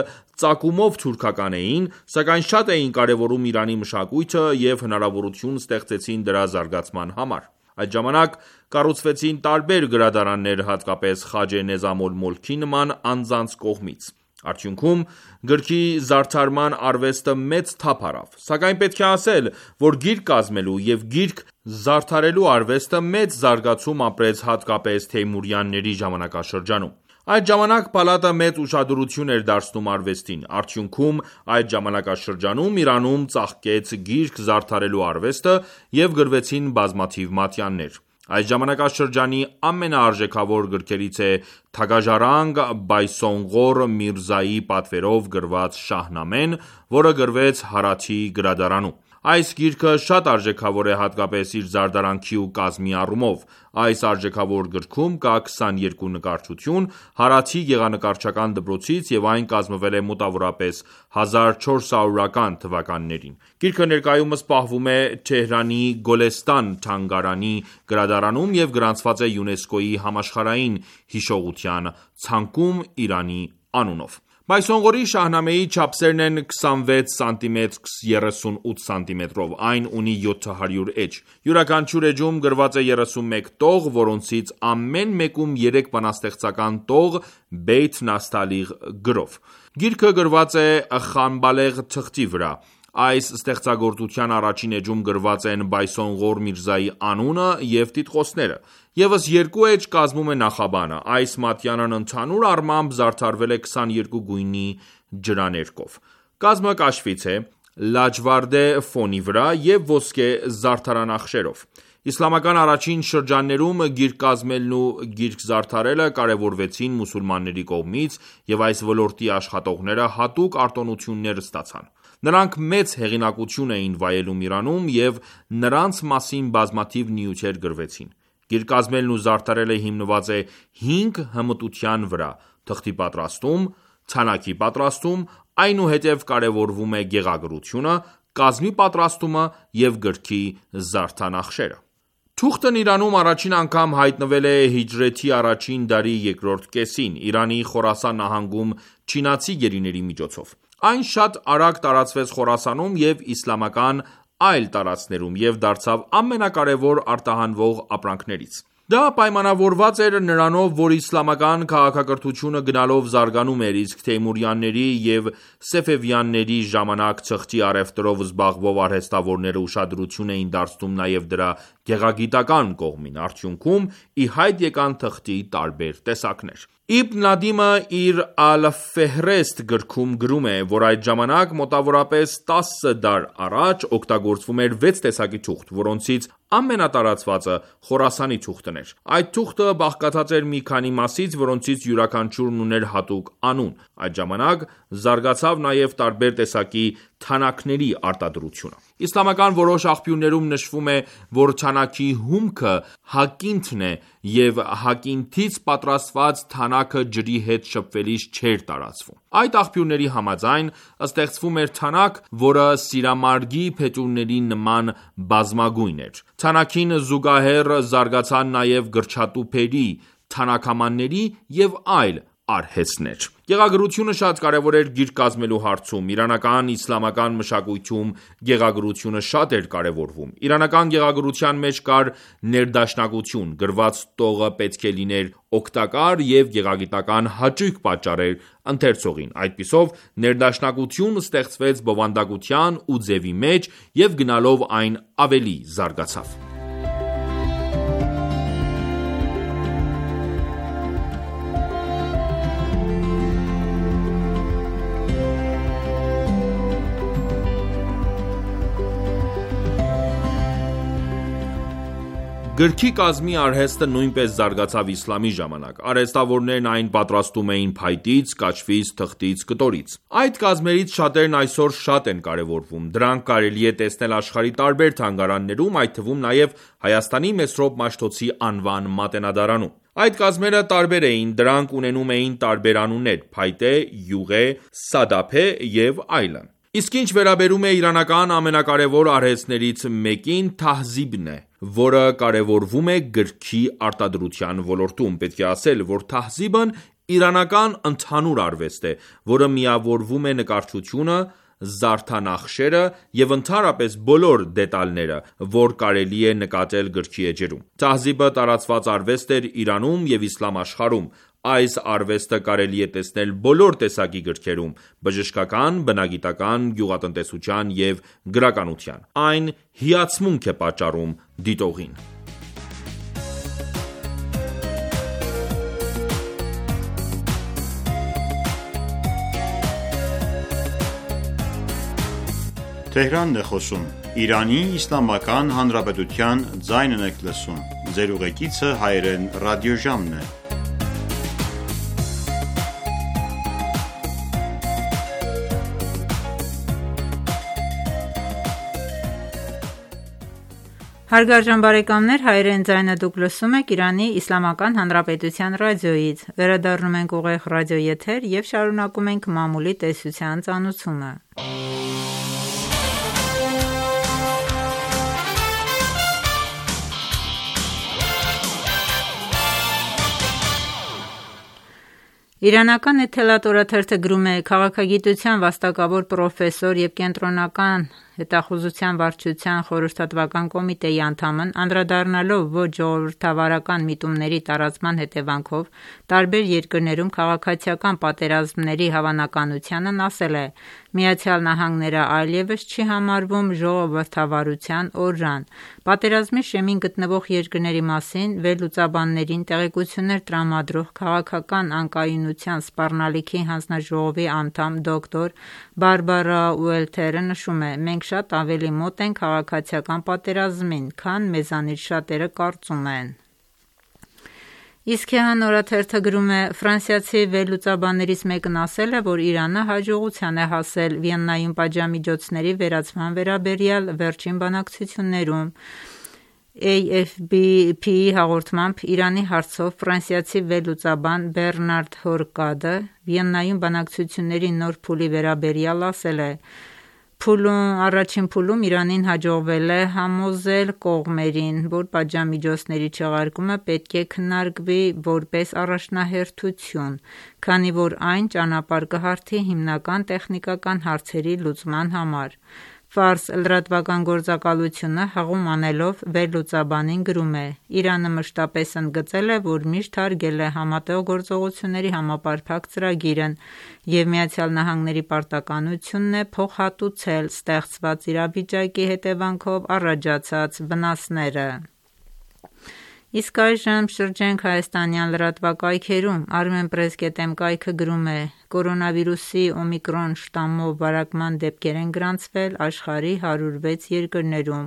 A: ծագումով թուրքական էին, սակայն շատ էին կարևորում Իրանի մշակույթը և հնարավորություն ստեղծեցին դրա զարգացման համար։ Այդ ժամանակ կառուցվեցին տարբեր գրադարաններ, հատկապես Խաջե Նեզամ ալ-Մոլքի նման անձանց կողմից։ Արդյունքում, գրքի զարդարման արվեստը մեծ թափ առավ։ Սակայն պետք է ասել, որ գիրք կազմելու և գիրք զարդարելու արվեստը մեծ զարգացում ապրեց հատկապես Թեյմուրյանների ժամանակաշրջանում։ Այդ ժամանակ պալատը մեծ ուշադրություն էր դարձնում արվեստին։ Արդյունքում, այդ ժամանակաշրջանում Իրանում ծաղկեց գիրք զարդարելու արվեստը և գրվեցին բազմաթիվ մատյաններ։ Այս ժամանակաշրջանի ամենաարժեքավոր գրքերից է Թագաժառանգ Բայսոնղոր Միրզայի պատվերով գրված Շահնամեն, որը գրվեց Հարաթի գրադարանում։ Այս գիրքը շատ արժեքավոր է հատկապես իր զարդարանքի ու կազմի առումով։ Այս արժեքավոր գրքում կա 22 նկարչություն Հարաթի գեղանկարչական դպրոցից և այն կազմվել է մոտավորապես 1400-ական թվականներին։ Գիրքը ներկայումս պահվում է Թեհրանի Գոլեստան թանգարանի գրադարանում և գրանցված է ՅՈՒՆԵՍԿՕ-ի համաշխարհային հիշողության ցանկում Իրանի անունով։ Բայսոնղորի Շահնամեի չափսերն են 26 սմ x 38 սմ, այն ունի 700 էջ։ Յուրաքանչյուր էջում գրված է 31 տող, որոնցից ամեն մեկում 3 բանաստեղծական տող Բեյթ Նասթալիղ գրով։ Գիրքը գրված է Խանբալեղ թղթի վրա։ Այս ստեղծագործության առաջին էջում գրված են Բայսոնղոր Միրզայի անունը և տիտղոսները։ ԵՒս 2 էջ կազմում է նախաբանը։ Այս մատյանն ընդհանուր առմամբ զարդարվել է 22 գույնի ջրաներկով։ Կազմը կաշվից է, լաջվարդե ֆոնի վրա և ոսկե զարդարանախշերով։ Իսլամական առաջին շրջաններում գիրք կազմելն ու գիրք զարդարելը կարևորվեցին մուսուլմանների կողմից, և այս ոլորտի աշխատողները հատուկ արտոնություններ ստացան։ Նրանք մեծ հեղինակություն էին վայելում Իրանում, և նրանց մասին բազմաթիվ նյութեր գրվեցին։ Գիրք կազմելն ու զարդարելը հիմնված է 5 հմտության վրա՝ թղթի պատրաստում, թանաքի պատրաստում, այնուհետև կարևորվում է գեղագրությունը, կազմի պատրաստումը և գրքի զարդանախշերը։ Թուղթն Իրանում առաջին անգամ հայտնվել է հիջրեթի առաջին դարի երկրորդ կեսին, Իրանի Խորասան նահանգում չինացի գերիների միջոցով։ Այն շատ արագ տարածվեց Խորասանում և իսլամական այլ տարածքներում և դարձավ ամենակարևոր արտահանվող ապրանքներից։ Դա պայմանավորված էր նրանով, որ իսլամական քաղաքակրթությունը գնալով զարգանում էր, իսկ Թեյմուրյանների և Սեֆևյանների ժամանակ թղթի առևտրով զբաղվող արհեստավորները ուշադրություն էին դարձնում նաև դրա գեղագիտական կողմին։ Արդյունքում ի հայտ եկան թղթի տարբեր տեսակներ։ Իբն Նադիմը իր Ալ-Ֆեհրեստ գրքում գրում է, որ այդ ժամանակ մոտավորապես 10 դար առաջ օգտագործվում էր 6 տեսակի թուղթ, որոնցից ամենատարածվածը Խորասանի թուղթն էր։ Այդ թուղթը բաղկացած էր մի քանի մասից, որոնցից յուրաքանչյուրն ուներ հատուկ անուն։ Այդ ժամանակ զարգացավ նաև տարբեր տեսակի թանաքների արտադրությունը։ Իսլամական որոշ աղբյուրներում նշվում է, որ թանաքի հումքը հակինթն է, և հակինթից պատրաստված թանաքը ջրի հետ շփվելիս չէր տարածվում։ Այդ աղբյուրների համաձայն, ստեղծվում էր թանաք, որը սիրամարգի փետուրների նման բազմագույն էր։ Թանաքին զուգահեռ զարգացան նաև գրչատուփերի, թանաքամանների և այլ արհեստներ։ Գեղագրությունը շատ կարևոր էր գիրք կազմելու հարցում։ Իրանական իսլամական մշակույթում գեղագրությունը շատ էր կարևորվում։ Իրանական գեղագրության մեջ կար ներդաշնակություն, գրված տողը պետք է լիներ օգտակար և գեղագիտական հաճույք պատճառեր ընթերցողին։ Այդպիսով ներդաշնակություն ստեղծվեց բովանդակության ու ձևի մեջ և գնալով այն ավելի զարգացավ։ Գրքի կազմի արհեստը նույնպես զարգացավ իսլամի ժամանակ։ Արհեստավորներն այն պատրաստում էին փայտից, կաչվից, թղթից, կտորից։ Այդ կազմերից շատերն այսօր շատ են կարևորվում։ Դրանք կարելի է տեսնել աշխարհի տարբեր թանգարաններում, այդ թվում նաև Հայաստանի Մեսրոպ Մաշտոցի անվան մատենադարանում։ Այդ կազմերը տարբեր էին, դրանք ունենում էին տարբեր անուններ՝ փայտե, յուղե, սադափե և այլն։ Իսկ ինչ վերաբերում է իրանական ամենակարևոր արհեստներից մեկին, Թահզիբն է, որը կարևորվում է գրքի արտադրության ոլորտում։ Պետք է ասել, որ Թահզիբն իրանական ընդհանուր արվեստ է, որը միավորվում է նկարչությունը, զարդանախշերը և ընդհանրապես բոլոր դետալները, որ կարելի է նկատել գրքի էջերում։ Թահզիբը տարածված արվեստ էր Իրանում և իսլամ աշխարհում։ Այս արվեստը կարելի է տեսնել բոլոր տեսակի գրքերում՝ բժշկական, բնագիտական, գյուղատնտեսության և գրականության։ Այն հիացմունք է պատճառում դիտողին։
B: Հարգարժան բարեկամներ, հայրեն ձայնը դուք լսում եք Իրանի Իսլամական Հանրապետության ռադիոյից։ Վերադառնում ենք ուղիղ ռադիոեթեր և շարունակում ենք մամուլի տեսության ծանոթությունը։ Իրանական Էթելատ օրաթերթը գրում է. «Քաղաքագիտության վաստակավոր պրոֆեսոր և Կենտրոնական հետախուզության վարչության խորհրդատվական կոմիտեի անդամն անդրադառնալով ոչ ժողովրդավարական միտումների տարածման հետևանքով տարբեր երկրներում քաղաքացիական պատերազմների հավանականությանն ասել է. ԱՄՆ-ն այլևս չի համարվում ժողովրդավարության օրրան։ Պատերազմի շեմին գտնվող երկրների մասին վերլուծաբաններին տեղեկություններ տրամադրող քաղաքական անկայունության սպառնալիքի հանձնաժողովի անդամ դոկտոր Բարբարա Ուելթերը նշում է. «Մենք շատ ավելի մոտ ենք քաղաքացիական պատերազմին, քան մեզանից շատերը կարծում են»։ Իսքեհան օրաթերթը գրում է. «Ֆրանսիացի վերլուծաբաններից մեկն ասել է, որ Իրանը հաջողության է հասել Վիեննայում պատժամիջոցների վերացման վերաբերյալ վերջին բանակցություններում»։ AFP-ի հաղորդմամբ Իրանի հարցով ֆրանսիացի վերլուծաբան Բեռնարդ Հորկադը Վիեննայում բանակցությունների նոր փուլի վերաբերյալ ասել է. «Առաջին փուլում Իրանին հաջողվել է համոզել կողմերին, որ պատժամիջոցների չեղարկումը պետք է քննարկվի որպես առաջնահերթություն, քանի որ այն ճանապարհ կհարթի հիմնական տեխնիկական հարցերի լուծման համար»։ Ֆարս լրատվական գործակալությունը հղում անելով վերլուծաբանին գրում է. «Իրանը մշտապես ընդգծել է, որ միշտ հարգել է Համատեղ գործողությունների համապարփակ ծրագիրն և ԱՄՆ-ի պարտականությունն է փոխհատուցել ստեղծված իրավիճակի հետևանքով առաջացած վնասները»։ Իսկ այժմ շրջենք հայաստանյան լրատվակայքերում։ Armenpress.am կայքը գրում է. «Կորոնավիրուսի օմիկրոն շտամմով վարակման դեպքեր են գրանցվել աշխարհի 106 երկրներում»։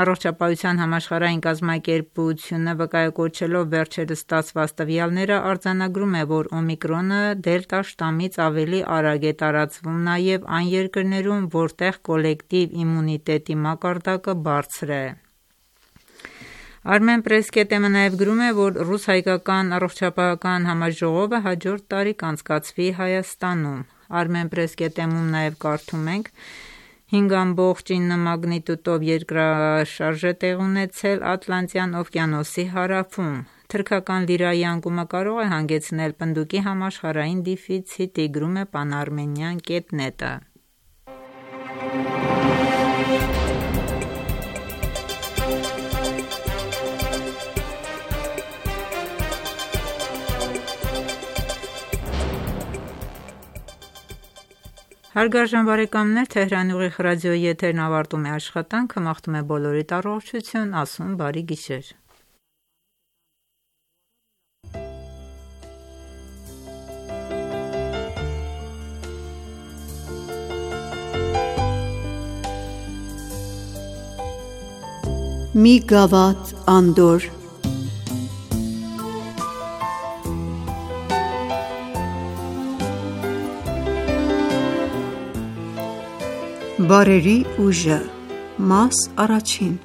B: Առողջապահության համաշխարհային կազմակերպությունը վկայակոչելով վերջերս ստացված տվյալները արձանագրում է, որ օմիկրոնը դելտա շտամից ավելի արագ է տարածվում նաև այն երկրներում, որտեղ կոլեկտիվ իմունիտետի մակարդակը բարձր է։ Armenpress.am-ը նաև գրում է, որ ռուս-հայկական առողջապահական համաժողովը հաջորդ տարի կանցկացվի Հայաստանում։ Armenpress.am-ում նաև կարդում ենք. 5.9 մագնիտուդով երկրաշարժ է տեղի ունեցել Ատլանտյան օվկիանոսի հարավում։ թրքական լիրայի անկումը կարող է հանգեցնել պնդուկի համաշխարհային դիֆիցիտի, գրում է Panarmenian.net-ը։ Հարգարժան բարեկամներ, Թեհրանի ուղիղ ռադիոյի եթերն ավարտում է աշխատանքը, մաղթում է բոլորիդ առողջություն, ասում բարի գիշեր։
F: Մի գավաթ անդոր։ Բարերի ուժը, մաս առաջին։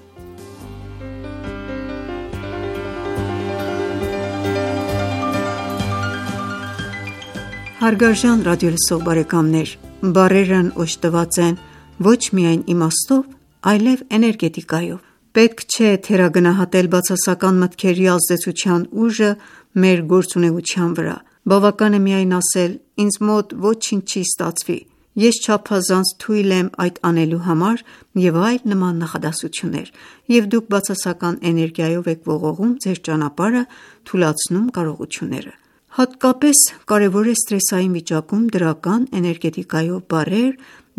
F: Հարգարժան ռադիոլսող բարեկամներ, բառերն օժտված են ոչ միայն իմաստով, այլև էներգետիկայով։ Պետք չէ թերագնահատել բացասական մտքերի ազդեցության ուժը մեր գործունեության վրա։ Բավական է միայն ասել՝ ինձ մոտ ոչինչ չի ստացվի, ես չափազանց թույլ եմ այդ անելու համար և այլ նման նախադասություններ, և դուք բացասական էներգիայով եք ողողում ձեր ճանապարհը, թուլացնում կարողությունները։ Հատկապես կարևոր է սթրեսային վիճակում դրական էներգետիկայով բառեր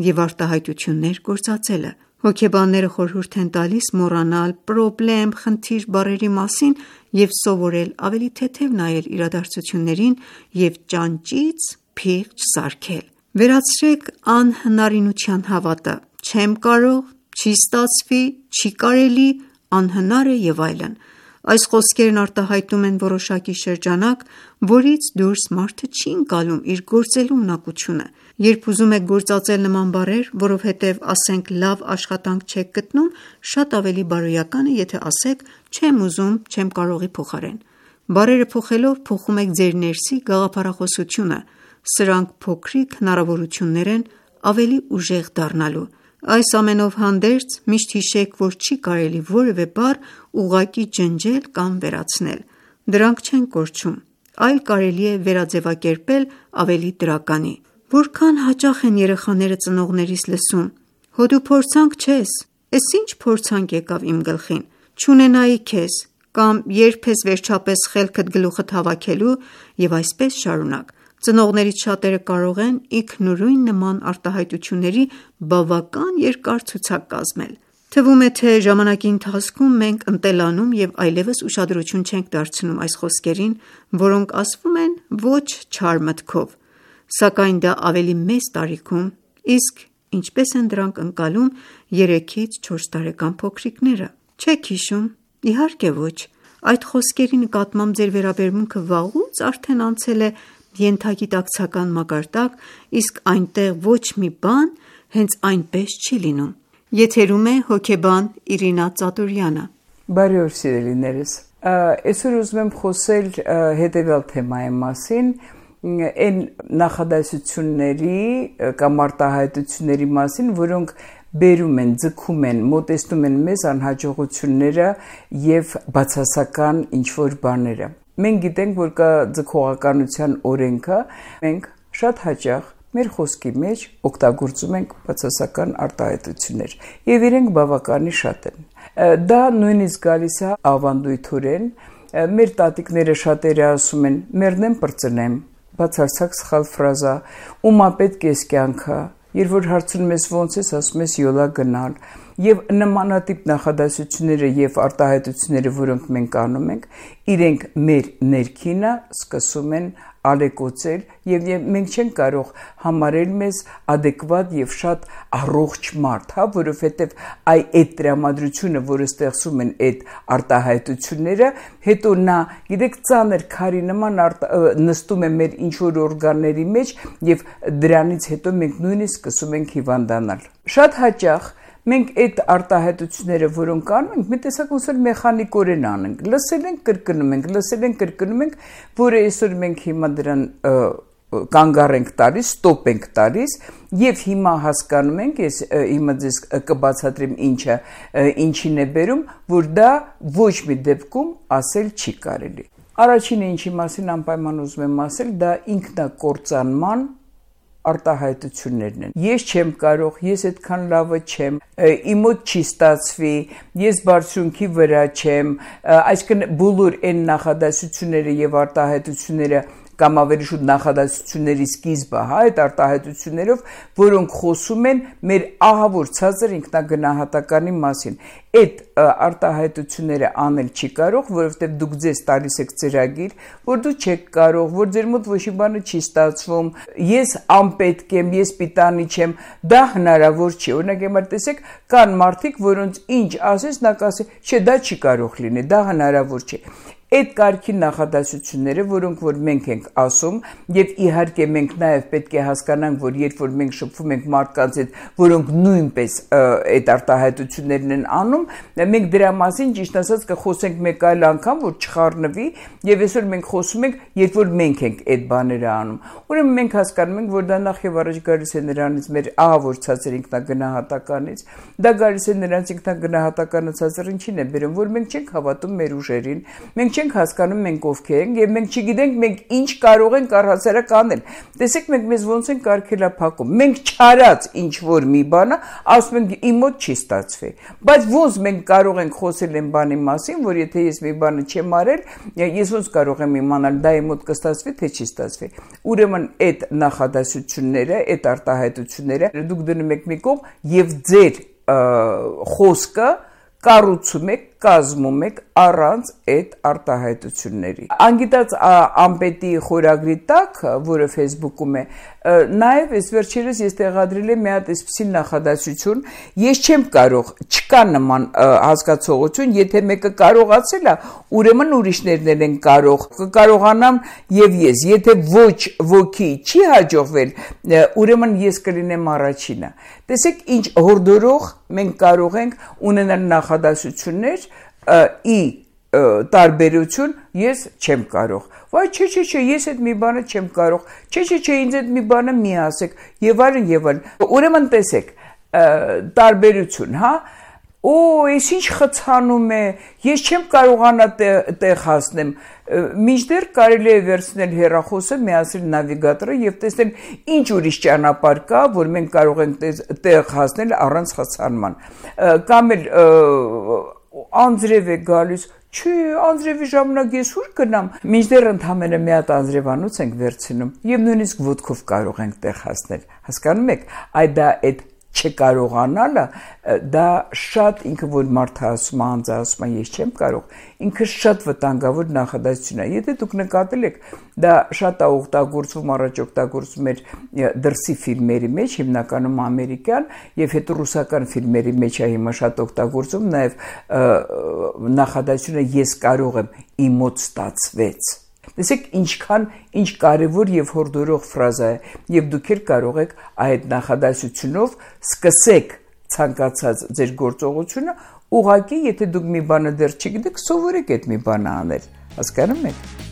F: և արտահայտություններ գործածելը։ Հոգեբանները խորհուրդ են տալիս մոռանալ պրոբլեմ, խնդիր բառերի մասին և սովորել ավելի թեթև նայել իրադարձություններին և ճանճից փիղ չսարքել։ Վերացրեք անհնարինության հավատը՝ չեմ կարող, չի ստացվի, չի կարելի, անհնար է և այլն։ Այս խոսքերն արտահայտում են որոշակի շրջանակ, որից դուրս մարդը չի ընկալում իր գործելու ունակությունը։ Երբ ուզում եք գործածել նման բառեր, որովհետև, ասենք, լավ աշխատանք չեք գտնում, շատ ավելի բարոյական է, եթե ասեք չեմ ուզում, չեմ կարողի փոխարեն։ Բառերը փոխելով փոխում եք ձեր ներսի գաղափարախոսությունը։ Սրանք փոքրիկ հնարավորություններ են ավելի ուժեղ դառնալու։ Այս ամենով հանդերձ, միշտ հիշեք, որ չի կարելի որևէ բառ ուղղակի ջնջել կամ վերացնել։ Դրանք չեն կորչում, այլ կարելի է վերաձևակերպել ավելի դրականի։ Որքան հաճախ են երեխաները ծնողներիս լսում. «Հո դու փորձանք չես, էս ինչ փորձանք եկավ իմ գլխին, չունենայի քեզ», կամ «Երբ ես վերջապես խելքդ գլուխդ հավաքելու» և այսպես շարունակ։ Ծնողներից շատերը կարող են ինքնուրույն նման արտահայտությունների բավական երկար ցուցակ կազմել։ Թվում է, թե ժամանակի ընթացքում մենք ընտելանում և այլևս ուշադրություն չենք դարձնում այս խոսքերին, որոնք ասվում են ոչ չար մտքով, սակայն դա ավելի մեծ տարիքում, իսկ ինչպես են դրանք ընկալում 3-ից 4 տարեկան փոքրիկները։ Չեք հիշում։ Իհարկե ոչ։ Այդ խոսքերի նկատմամբ ձեր վերաբերմունքը վաղուց արդեն անցել է ենթագիտակցական մակարդակ, իսկ այնտեղ ոչ մի բան հենց այնպես չի լինում։ Եթերում է հոգեբան Իրինա Ծատուրյանը։
G: Բարի օր սիրելիներս։ Այսօր ուզում եմ խոսել հետևյալ թեմայի մասին, այն նախադասությունների կամ արտահայտությունների մասին, որոնք բերում են, ձգում են, մոտեցնում են մեզ անհաջողությունները և բացասական ինչ-որ բաները։ Մենք գիտենք, որ կա ձգողականության օրենքը, մենք շատ հաճախ մեր խոսքի մեջ օգտագործում ենք բացասական արտահայտություններ, և իրենք բավականի շատ են։ Դա նույնիսկ գալիս է ավանդույթորեն, մեր տատիկները շատերը ասում են «մեռնեմ պրծնեմ», բացարձակ սխալ ֆրազա, «ումա պետք ես կյանքը», երբ որ հարցնում ես ոնց ես, ասում ես յոլա գնալ, և նմանատիպ նախադասությունները և արտահայտությունները, որոնք մենք անում ենք, իրենք մեր ներքինը սկսում են ալեկոծել և մենք չենք կարող համարել մեզ ադեկվատ և շատ առողջ մարդ, որովհետև այդ տրամադրությունը, որը ստեղծում են այդ արտահայտությունները, հետո նա, գիտեք, ծանր քարի նման նստում է մեր ինչ-որ օրգանների մեջ և դրանից հետո մենք նույնիսկ սկսում ենք հիվանդանալ։ Շատ հաճախ մենք այդ արտահայտությունները, որոնք անում ենք, մի տեսակ ոնց որ մեխանիկորեն անենք, լսել ենք, կրկնում ենք, լսել ենք, կրկնում ենք, որը այսօր մենք հիմա դրան կանգառ ենք տալիս, ստոպ ենք տալիս և հիմա հասկանում ենք, ես հիմա ձեզ կբացատրեմ ինչին է բերում, որ դա ոչ մի դեպքում ասել չի կարելի։ Առաջինը ինչի մասին անպայման ուզում եմ ասել, դա ինքնակործանման արտահայտություններն են։ Ես չեմ կարող, ես այդքան լավը չեմ, իմ մոտ չի ստացվի, ես բարձունքի վրա չեմ, այսինքն բոլոր այն նախադասությունները եւ արտահայտությունները կամ ավելի շուտ նախադասությունների սկիզբը, այդ արտահայտություններով, որոնք խոսում են մեր ահավոր ցածր ինքնագնահատականի մասին։ Այդ արտահայտությունները անել չի կարող, որովհետև դուք ձեզ տալիս եք ծրագիր, որ դու չեք կարող, որ ձեր մոտ ոչ մի բանը չի ստացվում, ես անպետք եմ, ես պիտանի չեմ, դա հնարավոր չի։ Օրինակ հիմա տեսեք, կան մարդիկ, որոնց ինչ ասես, նա կասի, չէ, դա չի կարող լինի, դա հնարավոր չի։ Այդ կարգի նախադասությունները, որոնք որ մենք ենք ասում, եւ իհարկե մենք նաեւ պետք է հասկանանք, որ երբ որ մենք շփվում ենք մարդկանց հետ, որոնք նույնպես այդ արտահայտություններն են անում, մենք դրա մասին ճիշտ ասած կխոսենք մեկ այլ անգամ, որ չխառնվի, եւ այսօր մենք խոսում ենք, երբ որ մենք ենք այդ բաները անում։ Ուրեմն մենք հասկանում ենք, որ դա նախ եւ առաջ գալիս է նրանից մեր ահավոր ցածր ինքնագնահատականից, դա գալիս է նրանց ինքնագնահատականը ցածր ինչին է բերում, որ մենք չենք հավատում մեր ուժերին, մենք չենք հասկանում մենք ովքեր ենք եւ մենք չգիտենք մենք ինչ կարող ենք առհասարակ անել։ Տեսեք մենք մեզ ոնց են կարգելափակում։ Մենք չարած ինչ որ մի բանը ասում ենք իմ մոտ չի ստացվի։ Բայց ոնց մենք կարող ենք խոսել այն բանի մասին, որ եթե ես մի բանը չեմ արել, ես ոնց կարող եմ իմանալ դա իմ մոտ կստացվի թե չի ստացվի։ Ուրեմն այդ նախադասությունները, այդ արտահայտությունները դուք դնում եք մի կողմ եւ ձեր խոսքը կառուցում եք, կազմում եք առանց այդ արտահայտությունների։ Անգիտած ամպետի խորագրի տակ, որը Facebook-ում է, նաև այս վերջերս ես տեղադրել եմ մի հատ այսպիսի նախադասություն, ես չեմ կարող, չկա նման հասկացողություն, եթե մեկը կարողացել է, ուրեմն ուրիշներն են կարող, կկարողանամ եւ ես, եթե ոչ ոքի չի հաջողվել, ուրեմն ես կլինեմ առաջինը։ Տեսեք ինչ հորդորող մենք կարող ենք ունենալ նախադասություններ ի տարբերություն ես չեմ կարող։ Վայ չէ, ես այդ մի բանը չեմ կարող։ Չէ, ինձ այդ մի բանը մի ասեք եւ այլն։ Ուրեմն տեսեք, տարբերություն, հա։ Օ, ես ինչ խցանում է, ես չեմ կարողանա տեղ հասնեմ։ Մինչդեռ կարելի է վերցնել հեռախոսը, միացնել նավիգատորը եւ տեսնել ինչ ուրիշ ճանապարհ կա, որ մենք կարող ենք տեղ հասնել առանց խցանման։ Կամ էլ անձրև է գալիս, չի, անձրևի ժամանակ ես ուր գնամ։ Մինչդեռ ընդհանրապես մի հատ անձրևանոց ենք վերցնում եւ նույնիսկ ոտքով կարող ենք տեղ հասնել։ Հասկանում եք, այդ չկարողանալը դա շատ ինքը որ մարդը ասում է, անձը ասում է ես չեմ կարող, ինքը շատ վտանգավոր նախադասություն է։ Եթե դուք նկատել եք, դա շատ է օգտագործվում, առաջ օգտագործվում էր դրսի ֆիլմերի մեջ, հիմնականում ամերիկյան, եւ հետո ռուսական ֆիլմերի մեջ է հիմա շատ օգտագործվում, նաեւ նախադասությունը ես կարող եմ, իմ մոտ ստացվեց։ Տեսեք ինչ կարևոր եւ հորդորող ֆրազա է եւ դուք էլ կարող եք այդ նախադասությունով սկսեք ցանկացած ձեր գործողությունը ուղղակի եթե դուք մի բանը դեռ չգիտեք սովորեք այդ մի բանը անել հասկանում եք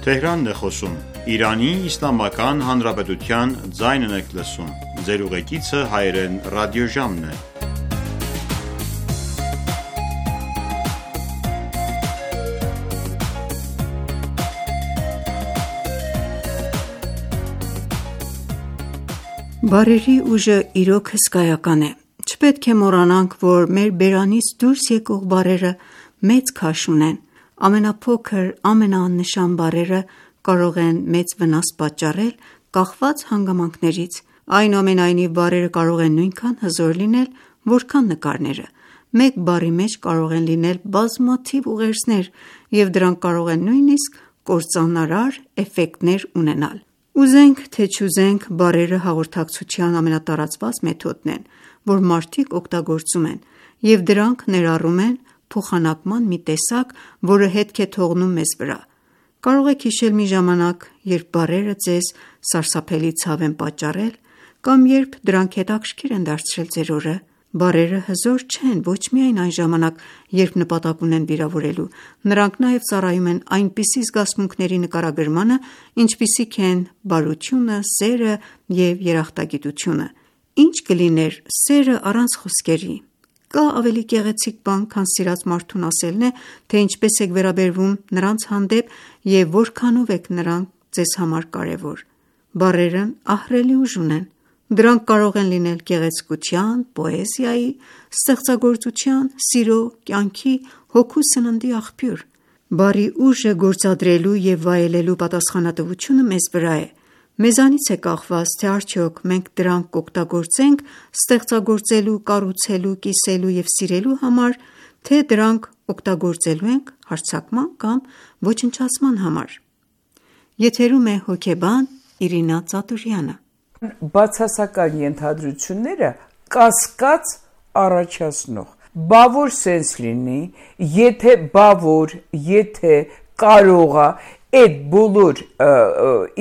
A: Tehranն է խոսում Իրանի Իսլամական Հանրապետության ձայնն եք լսում Ձեր ուղեկիցը հայերեն ռադիոժամն է
F: Բարերի ուժը իրոք հսկայական է Չպետք է մոռանանք, որ մեր բերանից դուրս եկող բառերը մեծ քաշ ունեն Ամենափոքր, ամենաաննշան բառերը կարող են մեծ վնաս պատճառել կախված հանգամանքներից Այնուամենայնիվ բառերը կարող են նույնքան հզոր լինել, որքան նկարները Մեկ բառի մեջ կարող են լինել բազմաթիվ ուղերձներ և դրանք կարող են նույնիսկ կործանարար էֆեկտներ ունենալ Ուզենք թե չուզենք, բառերը հաղորդակցության ամենատարածված մեթոդն են, որ մարդիկ օգտագործում են և դրանք ներառում են փոխանակման մի տեսակ, որը հետք է թողնում մեզ վրա։ Կարող եք հիշել մի ժամանակ, երբ բառերը ձեզ սարսափելի ցավ են պատճառել, կամ երբ դրանք հետաքրքիր են դարձրել ձեր օրը։ Բառերը հզոր չեն ոչ միայն այն ժամանակ, երբ նպատակ ունեն վիրավորելու, նրանք նաև ծառայում են այնպիսի զգացմունքների նկարագրմանը, ինչպիսիք են բարությունը, սերը և երախտագիտությունը: Ինչ կլիներ սերը առանց խոսքերի: Կա ավելի գեղեցիկ բան, քան սիրած մարդուն ասելն է, թե ինչպես եք վերաբերվում նրանց հանդեպ և որքանով եք նրանք ձեզ համար կարևոր: Բառերն ահռելի ուժ ունեն: Դրանք կարող են լինել գեղեցկության, պոեզիայի, ստեղծագործության, սիրո, կյանքի, հոգու սննդի աղբյուր: Բառի ուժը գործադրելու և վայելելու պատասխանատվությունը մեզ վրա է: Մեզանից է կախված, թե արդյոք մենք դրանք կօգտագործենք ստեղծագործելու, կառուցելու, կիսելու և սիրելու համար, թե դրանք օգտագործելու ենք հարձակման կամ ոչնչացման համար: Եթերում է հոգեբան Իրինա Ծատուրյանը:
G: Բացասական ենթադրությունները կասկած առաջացնող: Բավոր սենս լինի, եթե կարողա, այդ բոլոր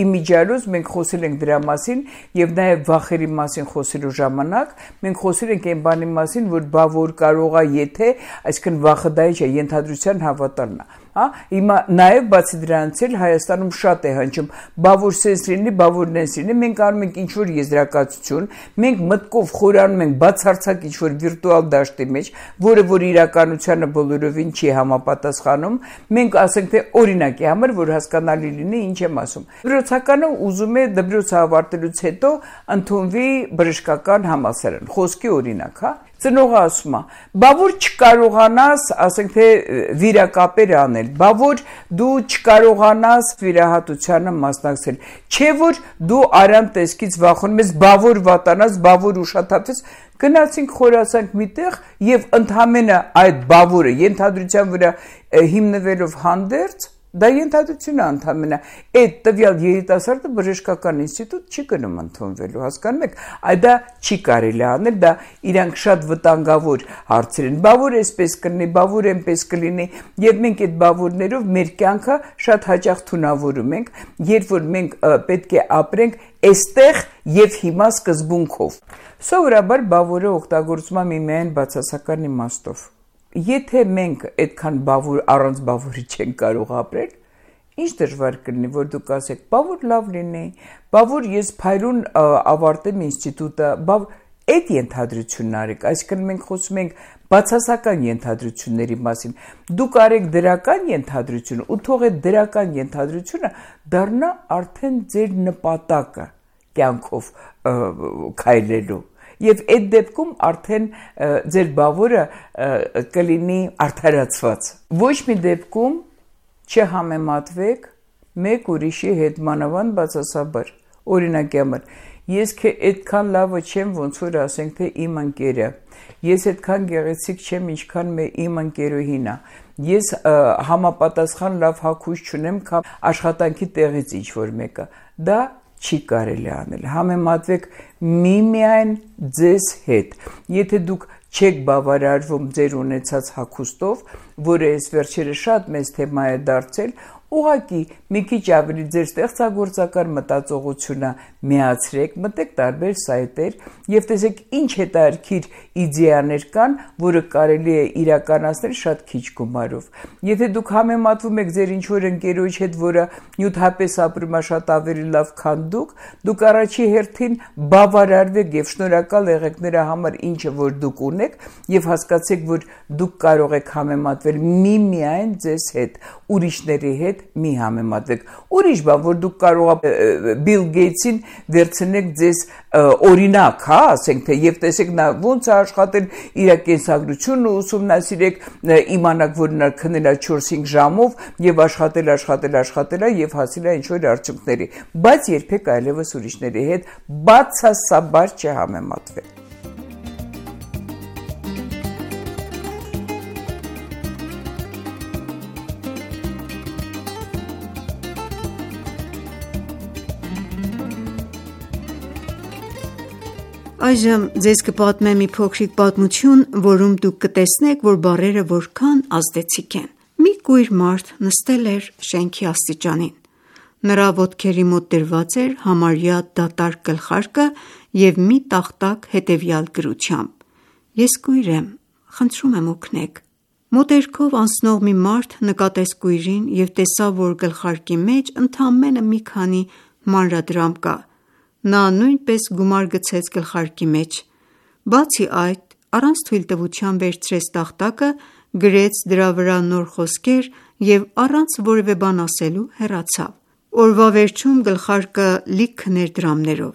G: իմիջիալոց մենք խոսել ենք դրա մասին և նաև վախերի մասին խոսելու ժամանակ մենք խոսել ենք այն բանի մասին, որ բավոր կարողա, եթե, այսինքն վախը դա ինչ է, ենթադրության հավատալն է: Հիմա նաև բացի դրանից էլ Հայաստանում շատ է հնչում բավոր սենս լինի, բավոր նենս լինի: Մենք անում ենք ինչ-որ եզրակացություն, մենք մտքով խորանում ենք բացարձակ ինչ-որ վիրտուալ դաշտի մեջ, որը որ իրականությանը բոլորովին չի համապատասխանում: Մենք ասենք թե օրինակի համար, որ հասկանալի լինի ինչ եմ ասում: Դպրոցականը ուզում է դպրոցը ավարտելուց հետո ընդունվի բժշկական համալսարան, խոսքի օրինակ: Ծնողը ասում է, բավոր չկարողանաս, ասենք թե վիրակապեր անել, բավոր դու չկարողանաս վիրահատությանը մասնակցել, չէ որ դու արյան տեսքից վախենում ես, բավոր վատանաս, բավոր ուշաթափվես: Գնացինք խորացանք մի տեղ և ընդամենը այդ բավորը ենթադրության վրա հիմնվելով հանդերձ, դա ենթադրություն է ընդամենը, այդ տվյալ երիտասարդը բժշկական ինստիտուտ չի գնում ընդունվելու, հասկանում եք: Դա չի կարելի անել, դա իրանք շատ վտանգավոր հարցեր են: Բավոր այսպես կլինի, բավոր այնպես կլինի և մենք այդ բավորներով մեր կյանքը շատ հաճախ թունավորում ենք, երբ որ մենք պետք է ապրենք այստեղ և հիմա սկզբունքով: Սովորաբար բավորը օգտագործվում է միմիայն բացասական իմաստով: Եթե մենք այդքան առանց բավորի չենք կարող ապրել, ինչ դժվար կլինի, որ դուք ասեք բավոր լավ լինի, բավոր ես փայլուն ավարտեմ ինստիտուտը, այդ ենթադրությունն արեք: Այսինքն մենք խոսում ենք բացասական ենթադրությունների մասին: Դուք արեք դրական ենթադրություն ու թող այդ դրական ենթադրությունը դառնա արդեն ձեր նպատակը կյանքով քայլելու և այդ դեպքում արդեն ձեր բավորը կլինի արդարացված: Ոչ մի դեպքում չհամեմատվեք մեկ ուրիշի հետ, մանավանդ բացասաբար: Օրինակի համար, ես այդքան լավը չեմ, ոնց որ ասենք թե իմ ընկերը, ես այդքան գեղեցիկ չեմ, ինչքան իմ ընկերուհին է, ես համապատասխան լավ հագուստ չունեմ, քան աշխատանքի տեղից ինչ-որ մեկը: Դա չի կարելի անել: Համեմատվեք միմիայն ձեզ հետ: Եթե դուք չեք բավարարվում ձեր ունեցած հագուստով, որը այս վերջերս շատ մեծ թեմա է դարձել, ուղղակի մի քիչ ավելի ձեր ստեղծագործական մտածողությունը միացրեք, մտեք տարբեր սայթեր և տեսեք ինչ հետաքրքիր իդեաներ կան, որը կարելի է իրականացնել շատ քիչ գումարով: Եթե դուք համեմատվում եք ձեր ինչ-որ ընկերոջ հետ, որը նյութապես ապրում է շատ ավելի լավ, քան դուք առաջի հերթին բավարարվեք և շնորհակալ եղեք նրա համար, ինչը որ դուք ունեք և հասկացեք, որ դուք կարող եք համեմատվել միմիայն ձեզ հետ, ուրիշների հետ մի համեմատվեք: Ուրիշ բան, որ դուք կարող եք Բիլ Գեյթսին վերցնեք ձեզ օրինակ, ասենք թե, և տեսեք նա ոնց է աշխատել, իր կենսագրությունը ուսումնասիրեք, իմանաք, որ նա քնել է 4-5 ժամով և աշխատել է և հասել է ինչ-որ արդյունքների: Բայց երբեք այլևս ուրիշների հետ բացասաբար չհամեմատվեք:
F: Այժմ ձեզ կպատմեմ մի փոքրիկ պատմություն, որում դուք կտեսնեք, որ բառերը որքան ազդեցիկ են: Մի կույր մարդ նստել էր շենքի աստիճանին: Նրա ոտքերի մոտ դրված էր համարյա դատարկ գլխարկը և մի տախտակ հետևյալ գրությամբ. Ես կույր եմ, խնդրում եմ օգնեք։ Մոտերքով անցնող մի մարդ նկատեց կույրին և տեսավ, որ գլխարկի մեջ ընդամենը մի քանի մանրադրամ կա։ Նա նույնպես գումար գցեց գլխարկի մեջ։ Բացի այդ, առանց թույլտվության վերցրեց տախտակը, գրեց դրա վրա նոր խոսքեր և առանց որևէ բան ասելու հեռացավ։ Օրվա վերջում գլխարկը լիքն էր դրամներով։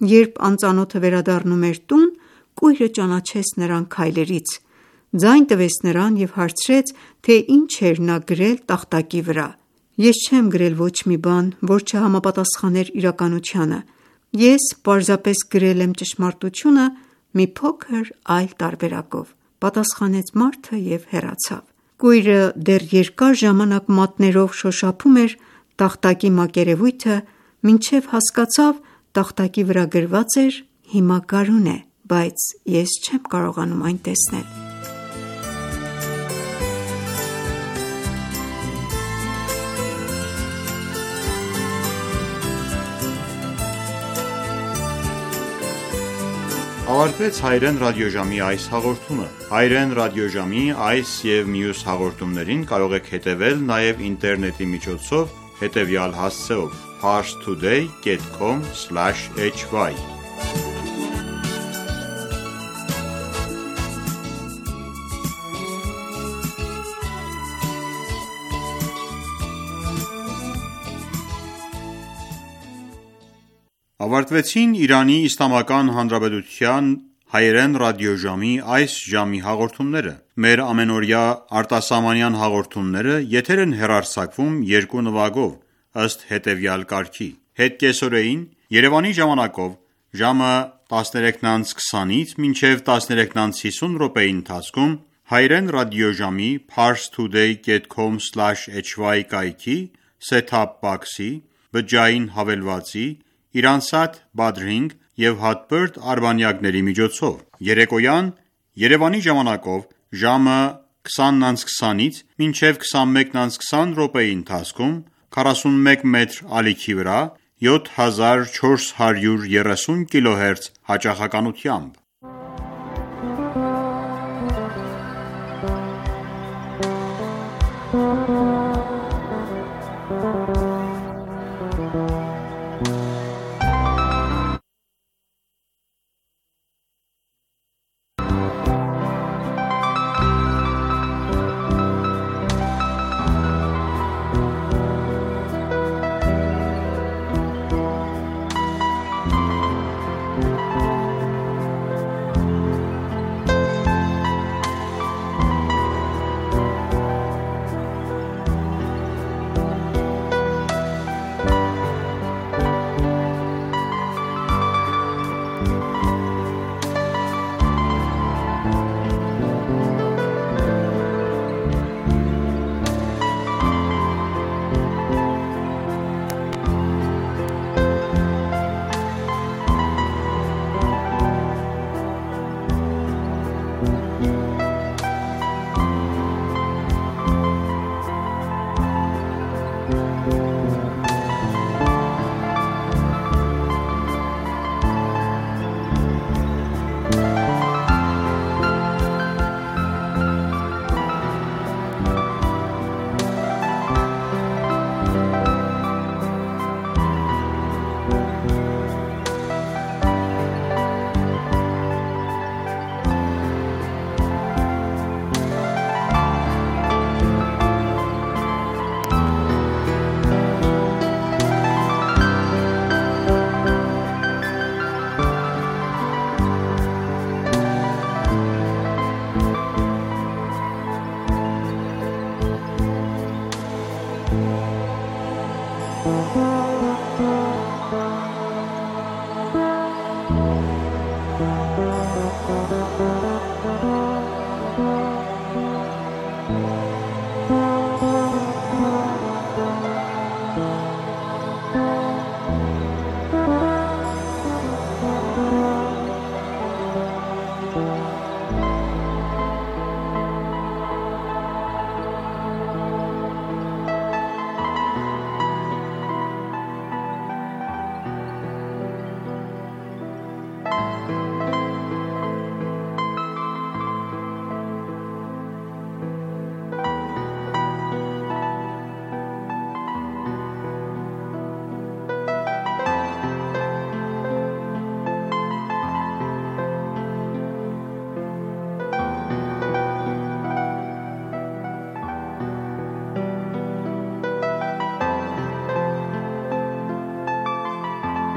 F: Երբ անծանոթը վերադառնում էր տուն, կույրը ճանաչեց նրան քայլերից, ձայն տվեց նրան և հարցրեց, թե ինչ էր նա գրել տախտակի վրա։ Ես չեմ գրել ոչ մի բան, որ չհամապատասխաներ իրականությանը։ Ես պարզապես գրել եմ ճշմարտությունը մի փոքր այլ տարբերակով, պատասխանեց մարդը և հեռացավ։ Կույրը դեռ երկար ժամանակ մատներով շոշափում էր տախտակի մակերևույթը, մինչև հասկացավ տախտակի վրա գրված էր «Հիմա գարուն է, բայց ես չեմ կարողանում այն տեսնել»։
A: Ավարտվեց հայերեն ռադիոժամի այս հաղորդումը։ Հայերեն ռադիոժամի այս և մյուս հաղորդումներին կարող եք հետևել նաև ինտերնետի միջոցով հետևյալ հասցեով՝ parstoday.com/hy Ավարտվեցին Իրանի Իսլամական Հանրապետության հայերեն ռադիոժամի այս ժամի հաղորդումները։ Մեր ամենօրյա արտասահմանյան հաղորդումները եթեր են հեռարձակվում երկու նվագով, ըստ հետևյալ կարգի. Հետկեսօրեին Երևանի ժամանակով ժամը 13:20-ից մինչև 13:50 րոպեի ընթացքում հայերեն ռադիոժամի parstoday.com/hy կայքի set-top box-ի, բջջային հավելվածի, Իրանսատ Badring և հատբերդ արբանյակների միջոցով։ Երեկոյան Երևանի ժամանակով ժամը 20:20-ից մինչև 21:20 րոպեի ընթացքում 41 մետր ալիքի վրա 7430 կիլոհերց հաճախականությամբ։